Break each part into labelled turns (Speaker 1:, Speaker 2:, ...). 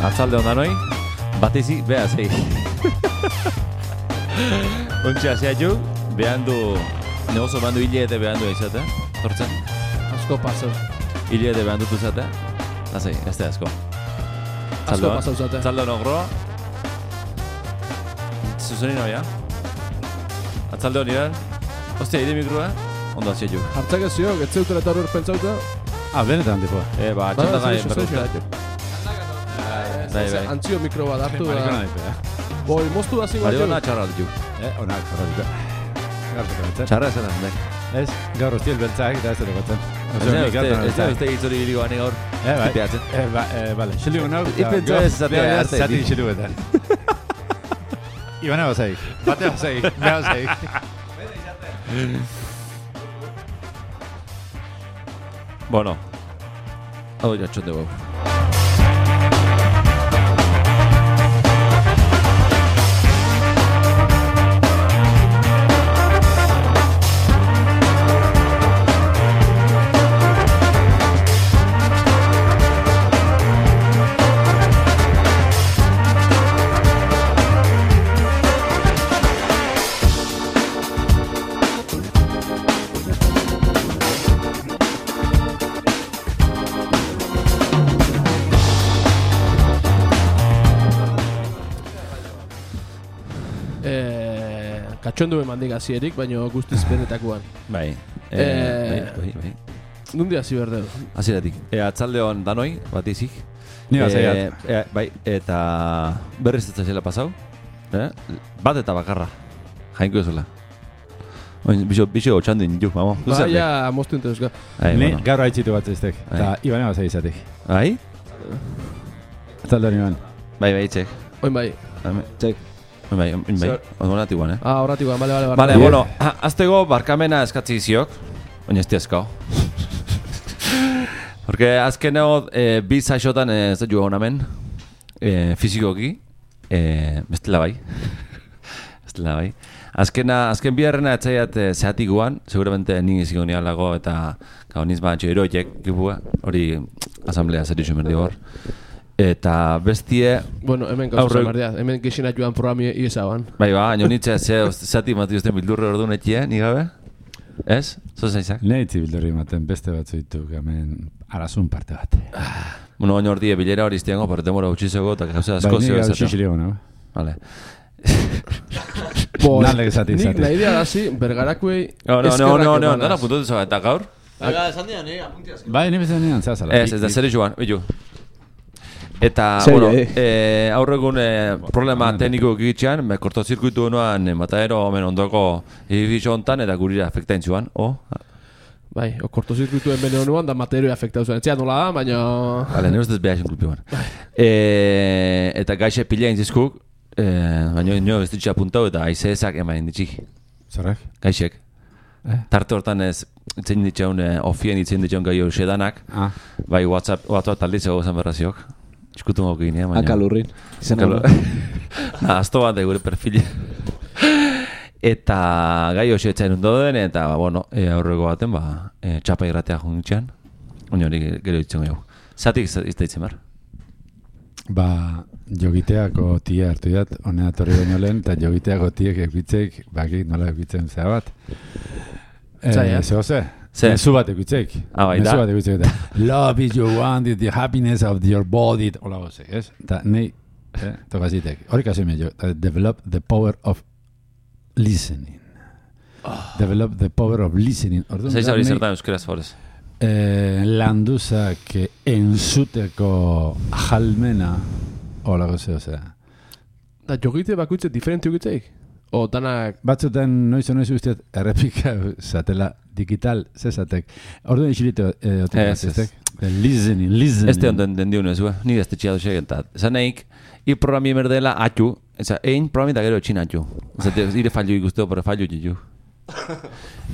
Speaker 1: Atzalde ondan hoi, batezi, beha zei. Ontsia zeatu, behan du, negozo behan du hilete behan du eizatea, tortzen.
Speaker 2: Asko pasau.
Speaker 1: Hilete behan dutu zatea, lazei, ez da asko.
Speaker 2: Asko pasau zatea.
Speaker 1: Atzalde hono groa. Zuzenin hoia. Atzalde honi eran. Ostia, ide mikroa, ondo zeatu.
Speaker 2: Hartzak ez ziok, ez zeutela eta horrek pentsauta.
Speaker 3: Benetan, tipo.
Speaker 1: Txanda gai, berrezta. Bai.
Speaker 2: Antzio mikro bat hartu da.
Speaker 3: Marikona nahi,
Speaker 2: Boi, moztu da zingo.
Speaker 1: Mariona txarra ditu.
Speaker 3: Onak, jarra ditu.
Speaker 1: Txarra esan da, nek.
Speaker 3: Ez, gaur ustiel beltzak, eta ez dut gotzen.
Speaker 1: Ez da uste hitzori biligo gani gaur. Tipeatzen.
Speaker 3: Bale, xilio nau.
Speaker 1: Ipentzu ez zatea arte.
Speaker 3: Zati xilioetan. Ibana bazaik, batea bazaik, beha bazaik.
Speaker 1: Bueno. Hau jatxote bau.
Speaker 2: Katxondu emandik azierik, baina guztiz benetakoan.
Speaker 1: Bai.
Speaker 2: Nundi hasi berdeu?
Speaker 1: Aziratik. Atzalde hon danoi, bat izik.
Speaker 3: Ni bazaiat.
Speaker 1: Bai, eta berriz ez zela pasau. Bat eta bakarra. Jainko ezula. Bixo gotxandu indiuk, mamo.
Speaker 2: Bai, ja, moztu enteuska.
Speaker 3: Ni gaur haitzitu bat ziztek. Eta Ibane bazai izatik.
Speaker 1: Bai?
Speaker 3: Atzalde hon Iban.
Speaker 1: Bai, txek.
Speaker 2: Oin bai.
Speaker 1: Txek. Bai, horretik guan,
Speaker 2: horretik guan, bale.
Speaker 1: Bale, bueno, aztego barkamena eskatzi iziok, oina ez tiazkao. Porque azkeneo, bi zaixotan ez dut joan hemen, fizikoki, bestela bai. Azken biharrena etzaiat zehatik guan, seguramente nik iziko nialago eta niz batxo eroiek, hori asamblea zer iso merdi hor. Eta bestie...
Speaker 2: Bueno, hemen gauza zamardia, hemen gexina joan programi iesaban.
Speaker 1: Bai, baina nitxe zati mati usten bildurre ordu netie, ni gabe? Ez? Zoza izak?
Speaker 3: Nehitzi bildurri maten beste bat zoitu, hemen arazun parte bat.
Speaker 1: Bueno, baina ordie bilera hori iztiango, pero temora utxizego eta gauza asko zio
Speaker 3: ez. Bai, nik gau xixirego, no?
Speaker 1: Vale.
Speaker 3: Nalek zati.
Speaker 2: Nik nahi dira hasi, bergarakuei...
Speaker 1: No, dara puntu duzu eta gaur?
Speaker 4: Esan dira, nire apuntiaz.
Speaker 3: Bai, nire bezan nian, zazala.
Speaker 1: Ez da zer joan, bitu. Eta, bueno, aurregun problema tekniko egitxean, kortozirkuitu honoan Mataero omen ondoko edifizio hontan eta gurira afektain zuan,
Speaker 2: Bai, kortozirkuitu hemen honoan da Mataero afektau zuen. Etzea nola da, baina...
Speaker 1: Bale, nire ustez behar esin kulpioan. Eta gaixe pila intzizkuk, baina nio ez ditxea puntau eta aizezak emain ditxik.
Speaker 3: Zerrak?
Speaker 1: Gaixek. Tarte hortan ez itzen ditxeun, ofien itzen ditxeun gai hori sedanak, bai WhatsApp talditzago zen berraziok. Eskutu mauko ginean, baina...
Speaker 4: Akalurrin.
Speaker 1: Azto bat da gure perfile. Eta gai hoxe etxain ondo den, eta, bueno, aurreko baten, txapa irratea jungitxean. Oina hori gero ditzen gau. Zatik izta ditzen bar?
Speaker 3: Jogiteako tia hartu dat, honea torri baino lehen, eta jogiteako tiek ekbitzeik, bakik nola ekbitzen zea bat. Zehoze? Mezu bat ekbitzek. Mezu bat ekbitzek eta love is your want, the happiness of your body. Ola gozek, ez? Eta nahi, tokazitek. Hori kasi meio, develop the power of listening. Develop the power of listening.
Speaker 1: Zaiz hori zertan euskeraz forez.
Speaker 3: Landuzak enzuteko jalmena, ola gozek, osea.
Speaker 2: Da jogite bakuitze diferente jogitzeik? O danak...
Speaker 3: Batzutan noiz usteat errepika zatela digital zezatek. Orduan isilite otik. Listening.
Speaker 1: Este onden den diunez, ni ez tetxea duzek eta. Zan nahik, programi merdela atxu, egin programi da gero etxin atxu. Ire fallu ikusteo, pero fallu jitu.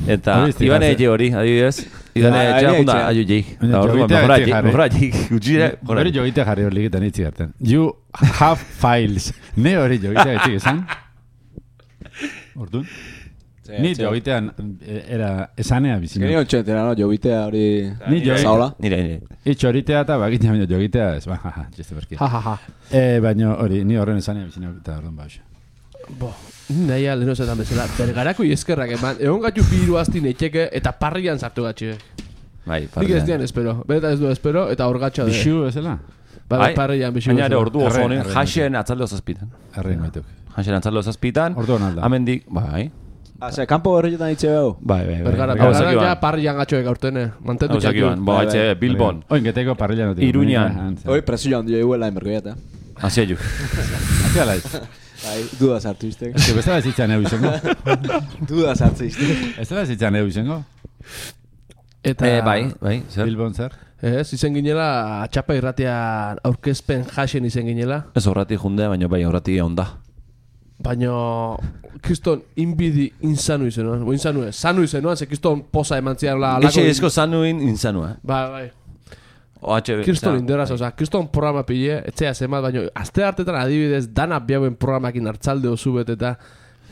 Speaker 1: Eta Ibane etxe hori, adibidez. Ibane etxea junda atxu jik. Mejora jik.
Speaker 3: Hori jogite jarri hori ligetan itzi garten. You have files. Ne hori jogite etxik esan? Orduan? Ni jogitean era esanea bizina.
Speaker 4: Genio txentera, no? Jogitea hori...
Speaker 3: Ni
Speaker 4: zaola.
Speaker 1: Nire.
Speaker 3: Itxoritea eta bagitea baino jogitea ez. Jeste berkia. Baina hori, ni horren esanea bizina eta orduan bauxa.
Speaker 2: Nahi aldeno zetan bezala. Bergarako eskerrak eman. Egon gatu biru aztin etxeke eta parrian sartu gatxe.
Speaker 1: Bai,
Speaker 2: parrian. Nik ez dian espero. Beta ez du espero eta horgatxa de.
Speaker 3: Bixu ezela?
Speaker 2: Bai, parrian bixu.
Speaker 1: Baina ere ordu oso honen jaxen atzaldo zazpitan.
Speaker 3: Arrein baituk.
Speaker 1: Jaxen atzaldo zazpitan.
Speaker 3: Ordu honalda.
Speaker 1: Amendik, bai.
Speaker 4: Kanpo berretan itxe behu.
Speaker 1: Bai.
Speaker 2: Bergara ja parrian gatxoek aurtene. Mantentu txakiu.
Speaker 1: Bai, Bilbon.
Speaker 3: Oingeteko parrilan notik.
Speaker 1: Iruñan.
Speaker 4: Hoi, presioa handia iguela enbergoiat,
Speaker 1: Hasia ju.
Speaker 3: Hasia laiz.
Speaker 4: Duda sartu iztek.
Speaker 3: Ez que bestela zitzan egu izango.
Speaker 4: Duda sartu iztek.
Speaker 3: Ez dela zitzan egu izango.
Speaker 2: Eta...
Speaker 1: Bai, zer?
Speaker 3: Bilbon zer?
Speaker 2: Ez, izen ginela, atxapa irratian aurkezpen jasen izen ginela.
Speaker 1: Ez horrati jundea, baina bai horrati onda.
Speaker 2: Baina, kriston inbidi insanu izenuan. Sanu izenuan, ze kriston posa emantzian la...
Speaker 1: Eixe esko sanuin insanua.
Speaker 2: Bai. Kriston inderaz, oza, kriston programa pille, etxea zemat, baina azte hartetan adibidez, dana biauen programakin hartzalde osu bet eta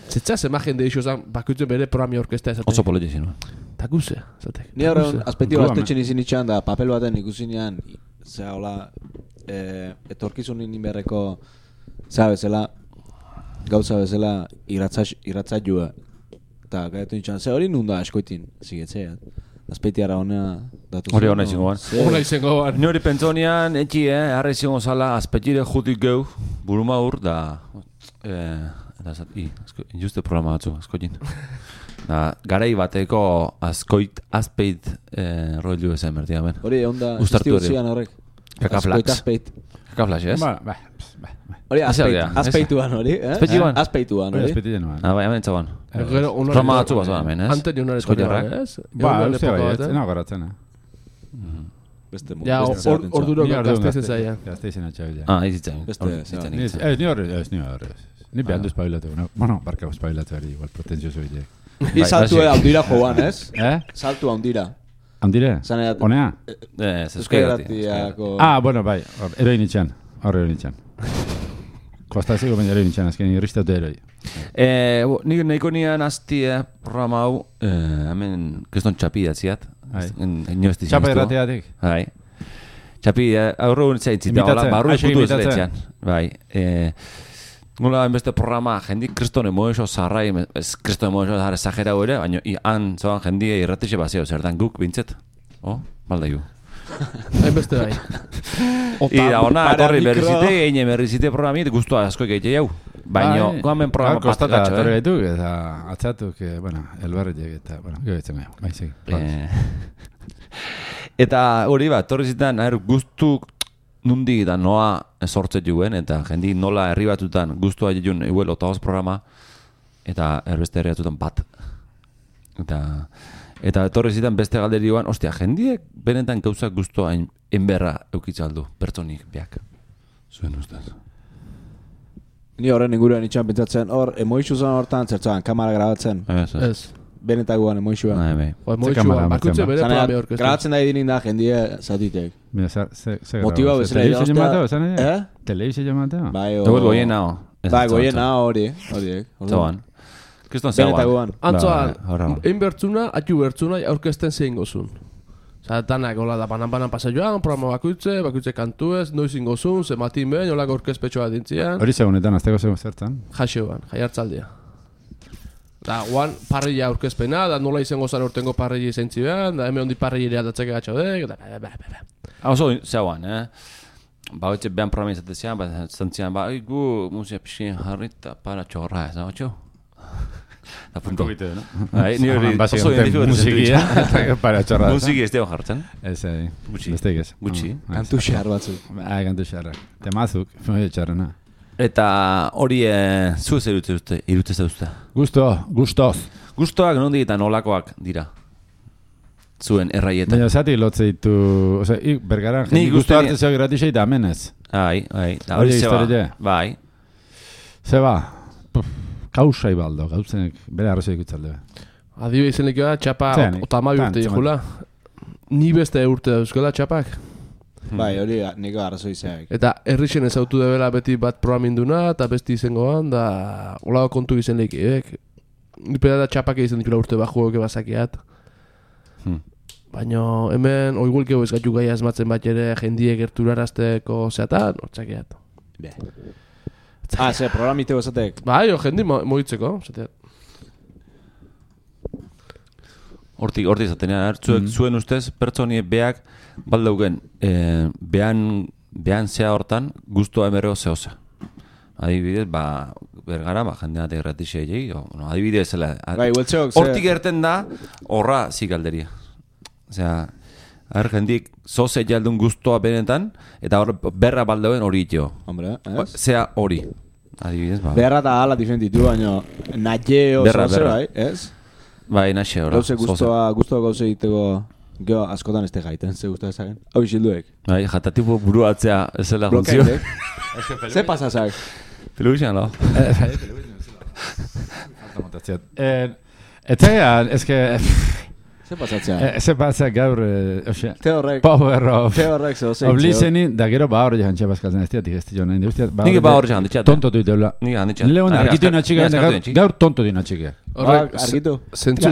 Speaker 2: zetxea zema jende iso zan, bakutzen bere programi orkestea esatek.
Speaker 1: Oso polete zinua.
Speaker 2: Ta guze, esatek.
Speaker 4: Ni horren, aspekti bat aztetxen izin itxan da, papel baten ikusinean, zera hola, etorkizunin inberreko, zera bezala, gauza bezala, irratzailua. Eta gaitu itxan, ze hori nunda askoitin, zigetzea. Azpeitiara honea datu zen.
Speaker 1: Hori hona izango ban.
Speaker 2: Hona izango ban.
Speaker 1: Ni hori pentsonian, etxi, harra izango zala, azpeitire jutik geu, buruma hur, da... Injuste programa batzu, askoitin. Garai bateko azpeit rollu esan bertia ben.
Speaker 4: Hori, onda, iztiu zian horrek.
Speaker 1: Kakaflax. Kakaflax, ez?
Speaker 3: Ba.
Speaker 4: Hori, azpeituan hori, eh?
Speaker 1: Azpeituan?
Speaker 4: Azpeituan hori.
Speaker 3: Azpeituan hori.
Speaker 1: Bai, hemen txaban. Roma batzu bat zoan, ez?
Speaker 2: Ante nionare
Speaker 1: Eskoitarrak.
Speaker 3: Ba, uste bai, ez nago garatzen,
Speaker 2: Ja, orduro gazteizen zaia.
Speaker 3: Gazteizen atxabila.
Speaker 1: Izitzen.
Speaker 3: Ni horre. Ni behar du espabilatu. Bueno, barka espabilatu ari, igual pretenzioso bile.
Speaker 4: Ni saltu haundira joan, ez? Saltu haundira.
Speaker 3: Haundire? Honea?
Speaker 4: Euskeratiako...
Speaker 3: Bueno, bai, eroin itxan. Horre eroin itxan. Kostaziko baina eroin itxan, azken irristaute eroi.
Speaker 1: Nik nahiko nian aztie programa hau, hemen kriston txapi datziat.
Speaker 3: Txapa errateatik?
Speaker 1: Bai. Txapi, aurro unitzaitzita, barru putu ez letxean. Bai. Nola enbeste programa, jendik kriston emoexo zarrai, kriston emoexo zarrai exagera ere, baina han zoan jendia irratixe bazio, zertan guk bintzet. Balda ju.
Speaker 2: Enbeste bai.
Speaker 1: Ira, ona, torri berrizite, eine berrizite programit, guztua asko egeite jau. Baina, goamen programa
Speaker 3: pastatxo, torri gaituk, eta atzatuk, bueno, elbarretik, eta, bueno, gehiatzen gai, bai, segi.
Speaker 1: Eta hori bat, torri zitan, guztuk nundi eta noa sortzet juen, eta jendi nola herri batutan guztua jun eguel otagoz programa, eta erbeste herri batutan bat. Eta etorri zitan beste galderi joan, ostia, jendiek benetan gauzak guztua enberra eukitzaldu, pertsonik biak. Zuen ustez.
Speaker 4: Ni horren inguruan itxan pentsatzen, hor, emoixu zan hortan zertzoan, kamara grabatzen.
Speaker 2: Ez.
Speaker 4: Benetagoan emoixua.
Speaker 2: Emoixua, bakutze bere programi orkestra.
Speaker 4: Grabatzen da edinin da jendia zatitek.
Speaker 3: Motiba
Speaker 4: bezala idaztea.
Speaker 3: Telebizio jamateo?
Speaker 4: Bai,
Speaker 1: goien nao.
Speaker 4: Bai, goien nao hori.
Speaker 1: Zoan. Kriston zegoan.
Speaker 2: Antzoan, egin bertzuna, atu bertzuna, aurkesten zein gozun. Osa, danak, hola da, banan pasa joan, programa bakutze kantuez, noizin gozun, zematin behin, hola gorkezpetxoa dintzian.
Speaker 3: Hori segunetan, azteko zertan?
Speaker 2: Jaxeuan, jaiartzaldia. Da, guan, parrilla aurkezpena, da nola izango zan urtengo parrilla izentzi behan, da hemen hondi parrilla aldatzeke gatxodek, da,
Speaker 1: Oso, zegoan, Ba, hotxe behan programa izatezian, ba, zantzian, ba, gu, musika pixin jarrita, para txorra, ez da, hotxo? Da, punto. Ni hori, oso identifikatu
Speaker 3: musikia, para txorra.
Speaker 1: Musiki ez deo jartzen.
Speaker 3: Ez, besteik ez.
Speaker 1: Gutxi.
Speaker 4: Kantu xar batzu.
Speaker 3: Kantu xarrak. Temazuk, txarrena.
Speaker 1: Eta hori, zu ez irutze zauzte?
Speaker 3: Gustoz.
Speaker 1: Gustoak nondi eta nolakoak dira? Zuen erraietan.
Speaker 3: Baina zati lotze ditu, oza, bergaran jendi gusto hartzen zeo gratisei da amenez.
Speaker 1: Bai. Hori zeba. Bai.
Speaker 3: Zeba. Kausai baldo, gauzenek bere arrozio ikutzalde.
Speaker 2: Adibe izenek da, txapa otama urte jula. Ni beste urte dauzkola txapak.
Speaker 4: Bai, hori niko arrazoi zeak.
Speaker 2: Eta herrixen ezautu debela beti bat programinduna, eta besti izangoan, da olako kontu izen lekiek. nipeda da txapak egiten dikula urte bajuok bazakiat. Baina hemen oiguelkeo ez gaitu gai asmatzen bat ere jendiek gerturarazteko zeatan, hortzakiat.
Speaker 4: Ze programiteo esatek?
Speaker 2: Bai, jendi moitzeko, zeteat.
Speaker 1: Hortik zatenean, zuen ustez, pertsonie beak baldaugen, behan zea hortan, guztua emerrego zehoza. Adibidez, bergara, jendea erratixea egin, adibidez, hortik erten da, horra zikalderia. Osea, jendik zoze jaldun guztua benetan, eta hor berra baldauen hori itxeo.
Speaker 4: Hombre, ez?
Speaker 1: Zea hori. Adibidez,
Speaker 4: berra da ala difenditu, baina natxeo zoze, bai, ez?
Speaker 1: Bai, naxe hori.
Speaker 4: Gauze guztua gauze egiteko geho askotan ez te gaiten, ze guztua ezagen. Hau isilduek.
Speaker 1: Bai, jatatipo buruatzea ez zela funtzio.
Speaker 4: Ze pasazak?
Speaker 1: Peluixan, no?
Speaker 3: Etzean, ezke...
Speaker 4: Ze pasatzea?
Speaker 3: Ze pasatzea gaur...
Speaker 4: Teorrek.
Speaker 3: Power of...
Speaker 4: Teorrek zehozein.
Speaker 3: Oblizenin, da gero hori jantxe bazkaltzen ez diatik ez dion nahi.
Speaker 1: Nire hori jantxe.
Speaker 3: Tonto duit deula.
Speaker 1: Nire jantxe.
Speaker 3: Leon argitu inatxika, gaur tonto du inatxika.
Speaker 4: Argitu?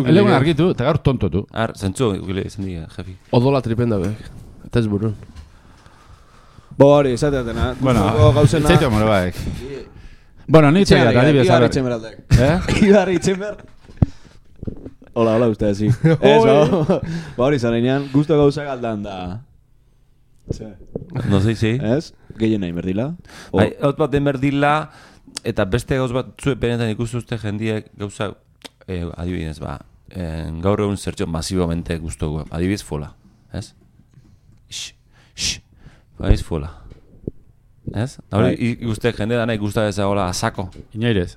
Speaker 3: Leon argitu, eta gaur tonto du.
Speaker 1: Zentzu, gile izan diga, jefi.
Speaker 2: Odola tripenda behek. Eta ez burun.
Speaker 4: Hori, esateatena.
Speaker 3: Bueno, itzaitu amore baek. Bueno, nintzen gara, adibidez.
Speaker 4: Ibarri Txemberaldek. Ibarri Txember. Hola, uste ezi. Hori zareinean, guztu gauza galdan da.
Speaker 1: No sei, sí.
Speaker 4: Ez? Gehien nahi merdila?
Speaker 1: Hot bat den merdila, eta beste gauz bat zuen benetan ikustuzte jendiek gauza, adibidez, gaur egun zertxo masibamente guztu gu. Adibidez, fola. Ez? Baiz fola. Ez? Hori ikuste jende da nahi guztu ezagola asako.
Speaker 3: Inoirez.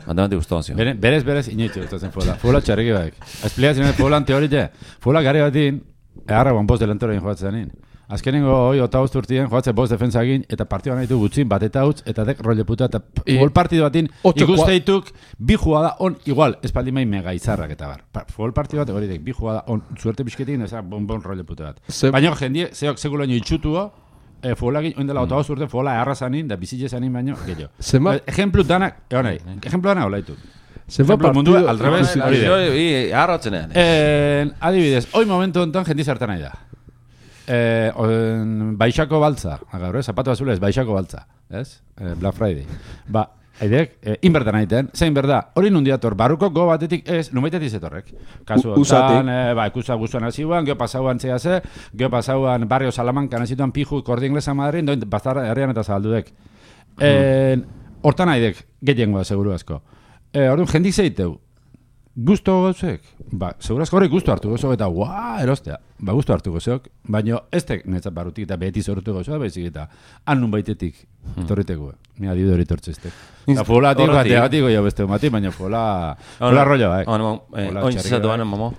Speaker 1: Mandamante gustó, sí.
Speaker 3: Berez inoitu gustatzen fola. Fola txarriki baik. Espliatzen fola teorite. Fola gari batin, egarra guan bost delantorein joatzen zanin. Azkenengo hoi otagozt urtien joatzen bost defensa egin, eta partioan nahitu gutxin bat eta utz, eta dek role puta, eta futbol partido batin ikusteituk bi jugada on igual, espaldi main mega izarrak eta bar. Futbol partido bat hori dek, bi jugada on, suerte bizketik, ezak bon role puta bat. Baina jendie, zeok sekulo nio itxutuo, Folagin, oindela otagoz urte, fola erra zanin, da bizitze zanin baino, gehiago. Ejemplu danak, ejemplu danak hola ditu. Ejemplu mundu, al revés, hori de.
Speaker 1: Arrotzenean.
Speaker 3: Adibidez, hoi momentu enten jendi zertan nahi da. Baixako baltza, gaur, zapatu bazula ez, baixako baltza, ez? Black Friday. Haidek, inbertan aiten, zein berda, hori nundiator, barruko go batetik ez, numeitetik zetorrek. Kasu honetan, ikusa guztuan hasiguan, geho pasauan zehaze, geho pasauan barrio Salamankan hasituan piju kordi inglesa Madrin, doin bastar herrian eta zabaldudek. Hortan haidek, gehiengoa, seguru asko. Orduan, jendik zeiteu, guztu gauzek? Seguru asko horrek guztu hartu gozok eta erostea. Guztu hartu gozok, baina ez tek netzat barrutik eta beheti zorrutu gozok, baizik eta annun baitetik torriteko. Ni adibide hori tortzeztek. Eta fola atik goia beste mati, baina fola rollo,
Speaker 1: Oin zizatu banen, mamo.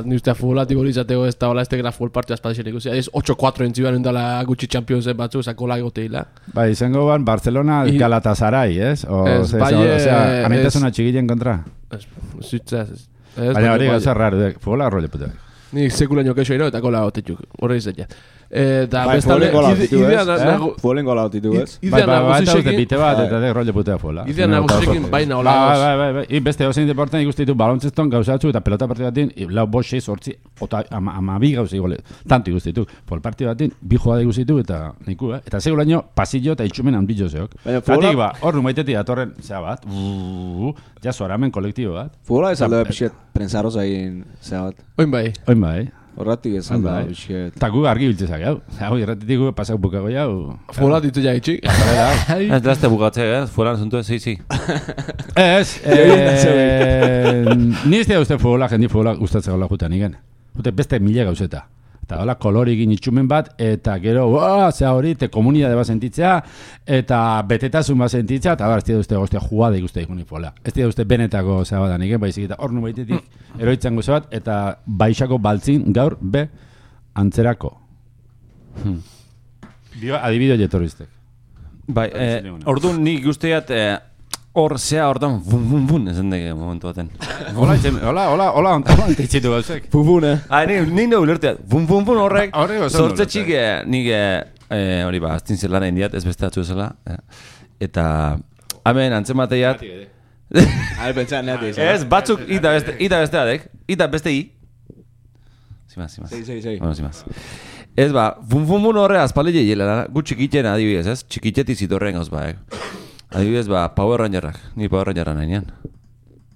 Speaker 2: Ni ustea fola atik hori izateko ez da hola ez tekera full partia espadizien ikusi. Ez 8-4 entziban endala gutxi Championsen batzu, zakola egoteila.
Speaker 3: Izango ban, Barcelona Galatasaray, ez? Osea, amitasuna txigilen kontra. Baina hori gauza raro, fola rollo puta.
Speaker 2: Ni sekulaino keixo ero eta kola gotetxuk, horre izatea. Eta
Speaker 4: bestalde, Folen gola gotitu, ez?
Speaker 3: Bai, eta uste bite bat, eta de rollo putea fola.
Speaker 2: Idea nagusikin baina hola goz.
Speaker 3: Bai, beste ozein deporten ikustitu balontzeston gauzatzu eta pelota partidu batin, lau bost 6 hortzi, amabi gauza igual, tanto ikustitu. Pol partidu batin, bi jugada ikustitu eta niku, eta segulaino pasillo eta itxumen hanbillo zeok. Zatik hor numaitetik atorren, zea bat, ja zoramen kolektibo bat.
Speaker 4: Fola ez aldo pixet prensaroz egin, zea bat.
Speaker 2: Oin bai.
Speaker 4: Horratik ez aldo pixet.
Speaker 3: Eta gu argi biltzezak, hau irratitik gu pasak bukago jau.
Speaker 2: Fola ditu ja itxik.
Speaker 1: Ez dazte bukatzea, folan zuntu ez, sí.
Speaker 3: Ez, nizte uste fola, jendi fola gustatzea hola jutan igen. Jute beste mila gauzeta. Eta hola kolorigin itxumen bat, eta gero, zea hori, te komunidade bat sentitzea, eta betetasun bat sentitzea, eta ez dira uste goztea jugada ikuste ikuni fola. Ez dira uste benetako zea bat aniken, baizik eta hor nubaitetik eroitzan gozo bat, eta baixako baltzin gaur be antzerako. Adibideo jetorriztek.
Speaker 1: Bai, orduan nik guztiat hor zea hortan bun ezen deke momentu baten.
Speaker 3: Hola, antitzitu gauzek.
Speaker 4: Bun,
Speaker 1: Nik nago ulerteat, bun horrek, sortze txik nik hori aztin zelana indiat, ez beste atzu ezela. Eta, hemen antzemateiat,
Speaker 4: Pentsa, neate izan.
Speaker 1: Ez, batzuk ita bestea dek. Ita beste i. Zimaz.
Speaker 4: Sei.
Speaker 1: Bueno, zimaz. Ez ba, funfumun horre azpale jehiela, gu txikiten adibidez, ez? Txikiteti zitorren gauz ba, adibidez ba, Power Rangerrak, ni Power Rangerra nahinean.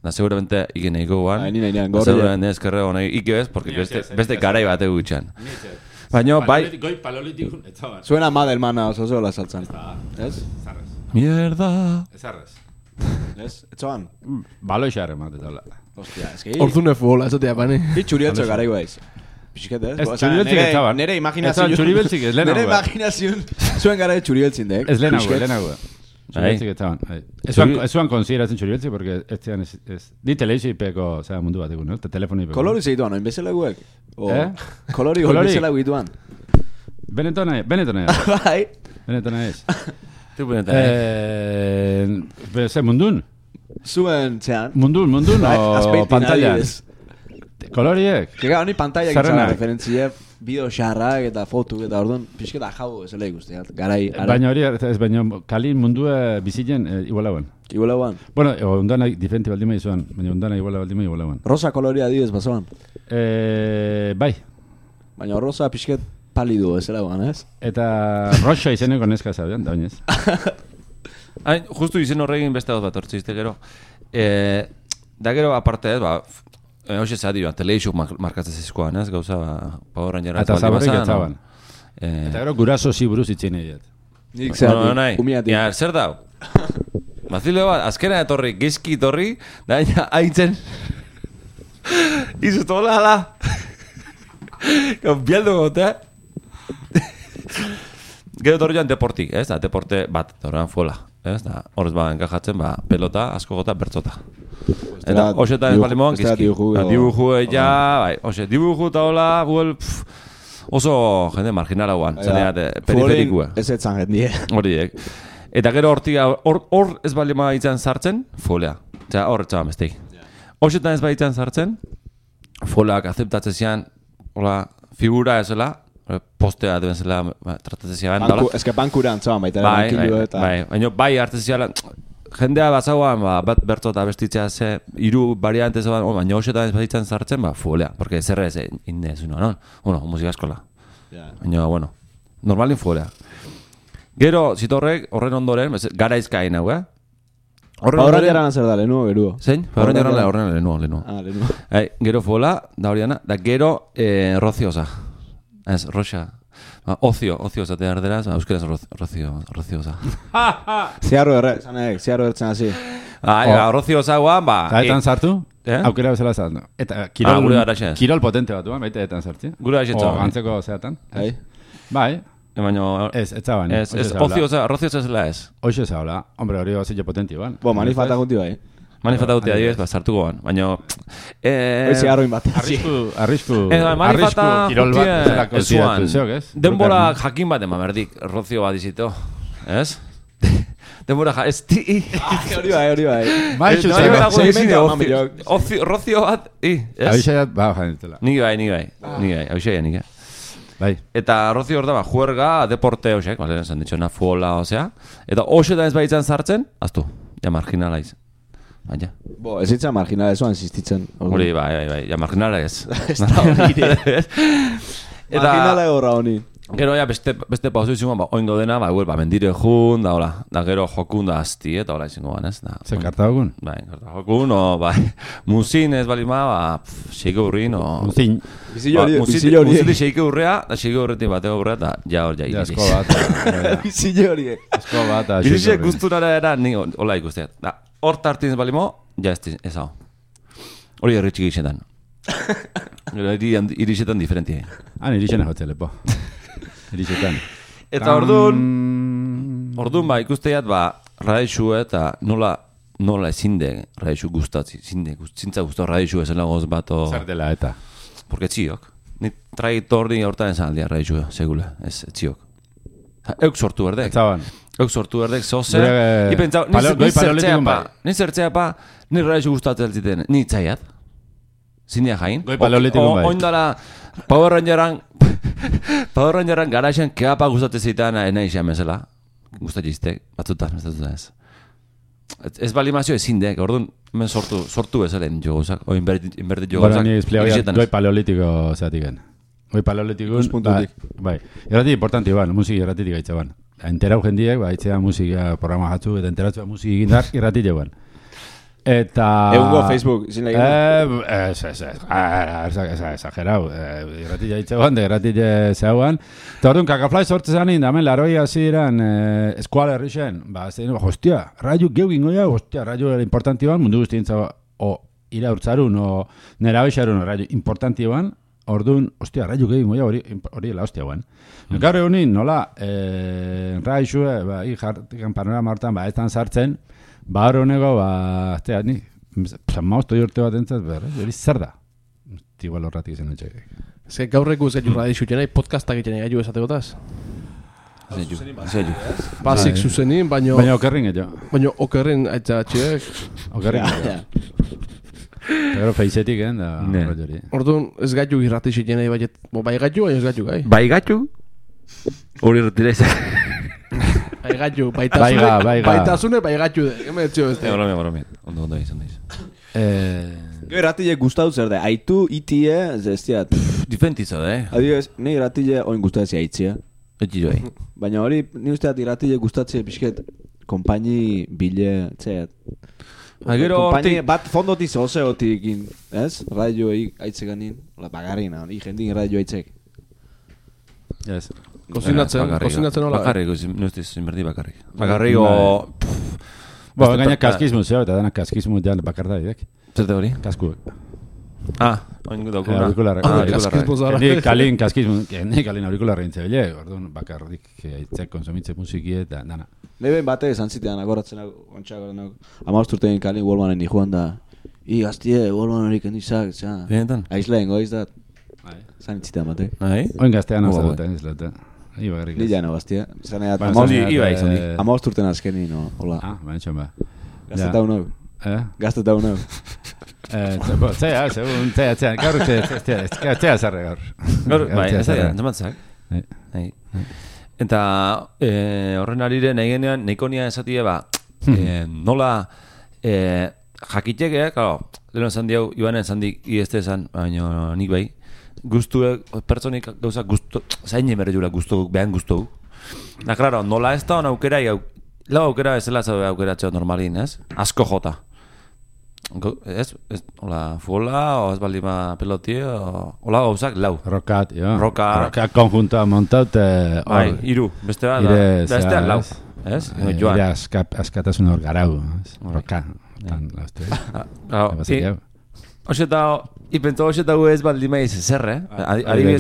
Speaker 1: Da, seguramente igen eiko guan.
Speaker 4: Ni nahinean, gorri.
Speaker 1: Seguramente ez kerrego nahi, ike ez, porque beste garai bat egutxan. Baina, bai...
Speaker 3: Goi palolitik, ez zaban.
Speaker 4: Suena mal, hermana, oso zola saltzan. Ez?
Speaker 3: Zarrez.
Speaker 1: Mierda.
Speaker 3: Ez zarrez.
Speaker 4: Ez? Ez zoan?
Speaker 3: Baloi xarre mate taula.
Speaker 4: Hostia, ez que...
Speaker 2: Orduan futbola, ez otea, pani.
Speaker 4: Hi txurieltzo gara iguaiz. Pixket, ez?
Speaker 3: Txurieltzik ez zaban.
Speaker 4: Nere imaginazioan...
Speaker 3: Txurieltzik ez lehenago.
Speaker 4: Nere imaginazioan... Zuen gara txurieltzin, dek?
Speaker 3: Ez lehenago. Txurieltzik ez zaban. Ez zuan konsideratzen txurieltzik, porque ez zian ez... Di teleixi ipeko, zera mundu bat egun, no? Telefoni ipeko.
Speaker 4: Kolori zeituan, oin bezala guek? Kolori bezala guituan.
Speaker 3: Benetona
Speaker 4: Bai.
Speaker 3: Benetona ez.
Speaker 1: Tu benetona
Speaker 3: Zer, mundun?
Speaker 4: Zuen, zean.
Speaker 3: Mundun, o pantalla? Koloriek?
Speaker 4: Kega, honi pantalla gitzara referentzie, bideo xarrak eta fotuk eta orduan pixketa jau ezela ikusteat, garai.
Speaker 3: Baina hori, ez baina kalin mundua bizitzen igualauen.
Speaker 4: Igualauan.
Speaker 3: Bueno, ondana diferente baldima izuan, baina ondana igualauan.
Speaker 4: Rosa koloria adibidez basoan.
Speaker 3: Bai.
Speaker 4: Baina rosa pixket palidu ezela guan, ez?
Speaker 3: Eta roxa izeneko neska zabean, da bainez.
Speaker 1: Hain, justu izen horregin beste hau bat hortzizte gero. Da gero aparte ez, ba... Hoxe zadi, teleixuk markatzen zizkoan, ez? Gauza, Power Rangerra.
Speaker 3: Eta zabarrik etzaban. Eta gero guraso ziburuz itzen egiat.
Speaker 4: Nik zehati, umiatik.
Speaker 1: Ja, zer dau? Bazile bat, azkena etorri, gizki etorri, da haitzen... Izu tola da. Bialdu gotea. Gero etorri joan deportik, ez? Da, deporte bat, horrean fuela. Ez da, horrez ba, enkajatzen, ba, pelota, asko gota, bertzota. Eta, hoxetan ez balimoan, gizki. Dibuju ja, bai, hoxe, dibuju eta hola, guel, oso jende marginala guan, zaneat, periferikua.
Speaker 4: Ez etzan jendie.
Speaker 1: Horiek. Eta gero hortiga, hor ez balima itzan sartzen, folea. Eta hor etxaban besteik. Hoxetan ez balitzan sartzen, foleak azeptatzen zian, hola, figura ezela, postea deben zela tratatzen zian.
Speaker 4: Ez que bankura antzaban baita.
Speaker 1: Baina bai hartzen zian, jendea batzauan, bat bertzo eta bestitzea ze, hiru variante zegoen, baina hoxetan ez balitzan sartzen, folea, porque zerre ez inde ez uno, no? Musika eskola. Baina, bueno, normalin folea. Gero, zitorrek, horren ondoren, garaizkain hau,
Speaker 4: Horren jaran zer da, lehenuo, geruo.
Speaker 1: Zein? Horren jaran lehenuo. Gero fola, da horiana, da gero roziosa. Ez, roxa. Oziosa te ardera, euskeraz roziosa.
Speaker 4: Ziarro erre, zanek, ziarro ertzen hasi.
Speaker 1: Roziosa guan, ba...
Speaker 3: Eta sartu? Aukera bezala zartu. Eta kirol potente bat duan, baita etan sartzi.
Speaker 1: Gure aixetza.
Speaker 3: O gantzeko zeatan. Bai.
Speaker 1: Baina...
Speaker 3: Ez zaban.
Speaker 1: Roziosa zela ez.
Speaker 3: Hoxe zaula. Hombre, hori zile potenti ban.
Speaker 4: Manifata gunti bai.
Speaker 1: Manifata guti adibidez, sartuko ban. Baina...
Speaker 4: Hoizi arroin bat.
Speaker 3: Arrisku.
Speaker 1: Manifata
Speaker 3: guti
Speaker 1: ezuan. Denbora jakin bat ema berdik, rozio bat izito. Ez? Denbora ez ti...
Speaker 4: Hori bai.
Speaker 1: Rozio bat...
Speaker 3: Abixaiat, janitela.
Speaker 1: Niki bai. Abixaiat, bai. Eta rozio hor da, juerga, deporte hoxek, esan ditxona, fuola, osea. Eta hoxetan ez baitzan sartzen, aztu, ja marginala iz. Baina.
Speaker 4: Ez itzan marginala ezoan existitzen.
Speaker 1: Hori, bai, ja marginala ez.
Speaker 4: Marginala egorra honi.
Speaker 1: Gero, ja, beste pauzu izangoan, oingo dena, mendire jun, da, hola, da gero jokun da asti, eta hola izangoan, ez?
Speaker 3: Zer, kartagokun?
Speaker 1: Bai, kartagokun, musin ez balima, xeike urrin,
Speaker 3: Musin.
Speaker 4: Bizile hori.
Speaker 1: Xeike urrea, da xeike urretik bateko urrea, eta ja hor ja iriz.
Speaker 3: Asko bat.
Speaker 4: Bizile hori.
Speaker 3: Asko bat,
Speaker 1: Bizile guztunara era, ni hola ikusteat. Da, hor tartin ez balimo, ja ez hau. Hori erritxik izetan. Irizetan diferentia.
Speaker 3: Irizena hotzea lepo. Irizetan.
Speaker 1: Eta orduan ikusteat, radaixu eta nola ezinde radaixu gustatzi, zintza guztu radaixu ezela goz bato...
Speaker 3: Zer dela eta?
Speaker 1: Porque txiok. Ni traitordi hortan esan aldia radaixu, segule, ez txiok. Euk sortu berdek.
Speaker 3: Etzaban.
Speaker 1: Euk sortu berdek, zoze. Ipentzau, ni zertzea pa, ni radaixu gustatzen ziten, ni itzaiat. Zindia jain.
Speaker 3: Goi paleolitikun bai.
Speaker 1: Oindala, Power Rangeran garaxen keapa gustatzen zitan nahi xean bezala. Gustatiztek, batzutan, ez. ez balimazio ezin dek, orduan, hemen sortu bezalen jo gauzak, o invertit jo gauzak.
Speaker 3: Bueno, ni espliagoia doi paleolitiko zatiken. Hoi paleolitiko, bai, irrati importanti ban, musiki irratitik gaitza ban. Enterau jendiek, itxea musika programa jatzu, eta enteratzua musiki gindar irrati jo ban. Eta...
Speaker 4: Egungo Facebook, izin lehigin?
Speaker 3: Exagerau. Irrati jaitze ban, irrati zeuan. Eta orduan, kakaflai sortze zanin, damen, laroi hasi diran eskuala herrixen. Hostia, raio geu gingo ja, hostia, raio importanti ban, mundu guztientza, o ira urtzarun, o nera bexarun, raio importanti ban, orduan, hostia, raio geu gingo ja, hori la hostia ban. Gaur egunin, nola, raixue, jartikan panorama hortan, ez tan sartzen, hor honego, ni, mauzto jorte bat entzat, hori zer da? Igual horratik izan dutxek.
Speaker 2: Ez gaurreko ez gaitu radixu jenai, podcastak egiten gaitu esateko
Speaker 1: Zeitu.
Speaker 2: Basik zuzenin, baino...
Speaker 3: Baina okerrin gehiago.
Speaker 2: Baina okerrin aitza txiek.
Speaker 3: Okerrin gehiago. Gero feizetik, da...
Speaker 2: Orduan, ez gaitu irratixi jenai, bai gaitu, baina ez gaitu gai.
Speaker 1: Bai gaitu? Hori retira izan.
Speaker 2: Bai gaitu, baitasune, bai gaitu de. Hemen etxio ez da.
Speaker 1: Baromia. Ondo izan daiz.
Speaker 4: Gero irratile gustau zer da, aitu, itie, ez diat.
Speaker 1: Diferentizo,
Speaker 4: Adibidez, ni irratile oin gustatzea aitzia.
Speaker 1: Eti joi.
Speaker 4: Baina hori, ni usteat irratile gustatzea pixket, kompaini bile, txeat. Kompaini bat fondotiz oseotik, ez? Radio aitzeganin, bagarrina, jendin radio aitzek.
Speaker 3: Yes.
Speaker 2: Kozinatzen hola.
Speaker 1: Bakarrik, nuztiz inberdi bakarrik. Bakarrik o...
Speaker 3: Gaina kaskizmu zeo, eta dana kaskizmu jan bakarda idek.
Speaker 1: Zerte hori?
Speaker 3: Kaskuek.
Speaker 1: Oin daukuna.
Speaker 2: Kaskizmu zara.
Speaker 3: Ni kalin kaskizmu, ni kalin aurikularra intze bile, orduan bakarrik aitzek konsumitze musiki eta dana.
Speaker 4: Neben bate esan zitean agoratzen ontsagoren. Amausturten kalin Wallmanen nijuan da. Gaztie, Wallman horik endizak, zera.
Speaker 1: Benetan?
Speaker 4: Aizleen goiz dat. Zan itzitean bate.
Speaker 3: Oin gaztean hau zagoetan izleta.
Speaker 4: Ni jano gaztia. Zaneat, amausturten azkeni, no, hola.
Speaker 3: Baina txon ba.
Speaker 4: Gazteta unau. Gazteta unau.
Speaker 3: Zea, gaur zea zarre gaur.
Speaker 1: Gaur, bai, ez da, entzumatzak. Eta horren arire nahi genean, nahiko nia esatie ba, nola jakiteke, claro, leheno esan diau, Ibanen esan dik ieste esan, baina nik bai, guztue, pertsonik gauza guztu, zain emere jura guztu, behan guztu. Da, claro, nola ez da hon aukera, lau aukera ez dela zabe aukera txeo normalin, ez? Asko jota. Ez, hola, futbola, o ez baldima peloti, hola gauzak, lau.
Speaker 3: Rokat, jo.
Speaker 1: Rokat
Speaker 3: konjuntoa montaut.
Speaker 1: Bai, iru, beste bat, da ez lau. Ez?
Speaker 3: Ire askatasun hor garau. Rokat.
Speaker 1: Oxeta, ipento oxeta gu ez baldima ize zer,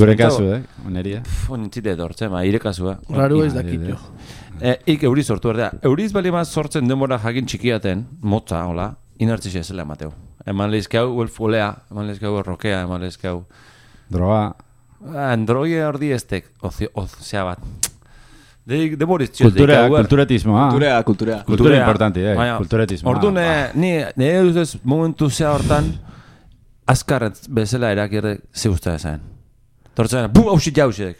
Speaker 3: Gure kasu, oneria.
Speaker 1: Nintzite edortzen, ire kasua.
Speaker 2: Raru ez dakit jo.
Speaker 1: Ik euriz sortu berdea. Euriz baldima sortzen denbora jakin txikiaten, motza, hola, inertzixea zela emateu. Eman lehizkau folea, eman lehizkau rokea, eman lehizkau...
Speaker 3: Droga.
Speaker 1: Droge ordi estek, ozea bat.
Speaker 3: Kulturetismo, Kultura importanti, kulturetismo.
Speaker 1: Orduan, nire duzez momentu zea hortan, azkar bezala erakirre ze usta esan. Tortzen, bum, hausit jauzek.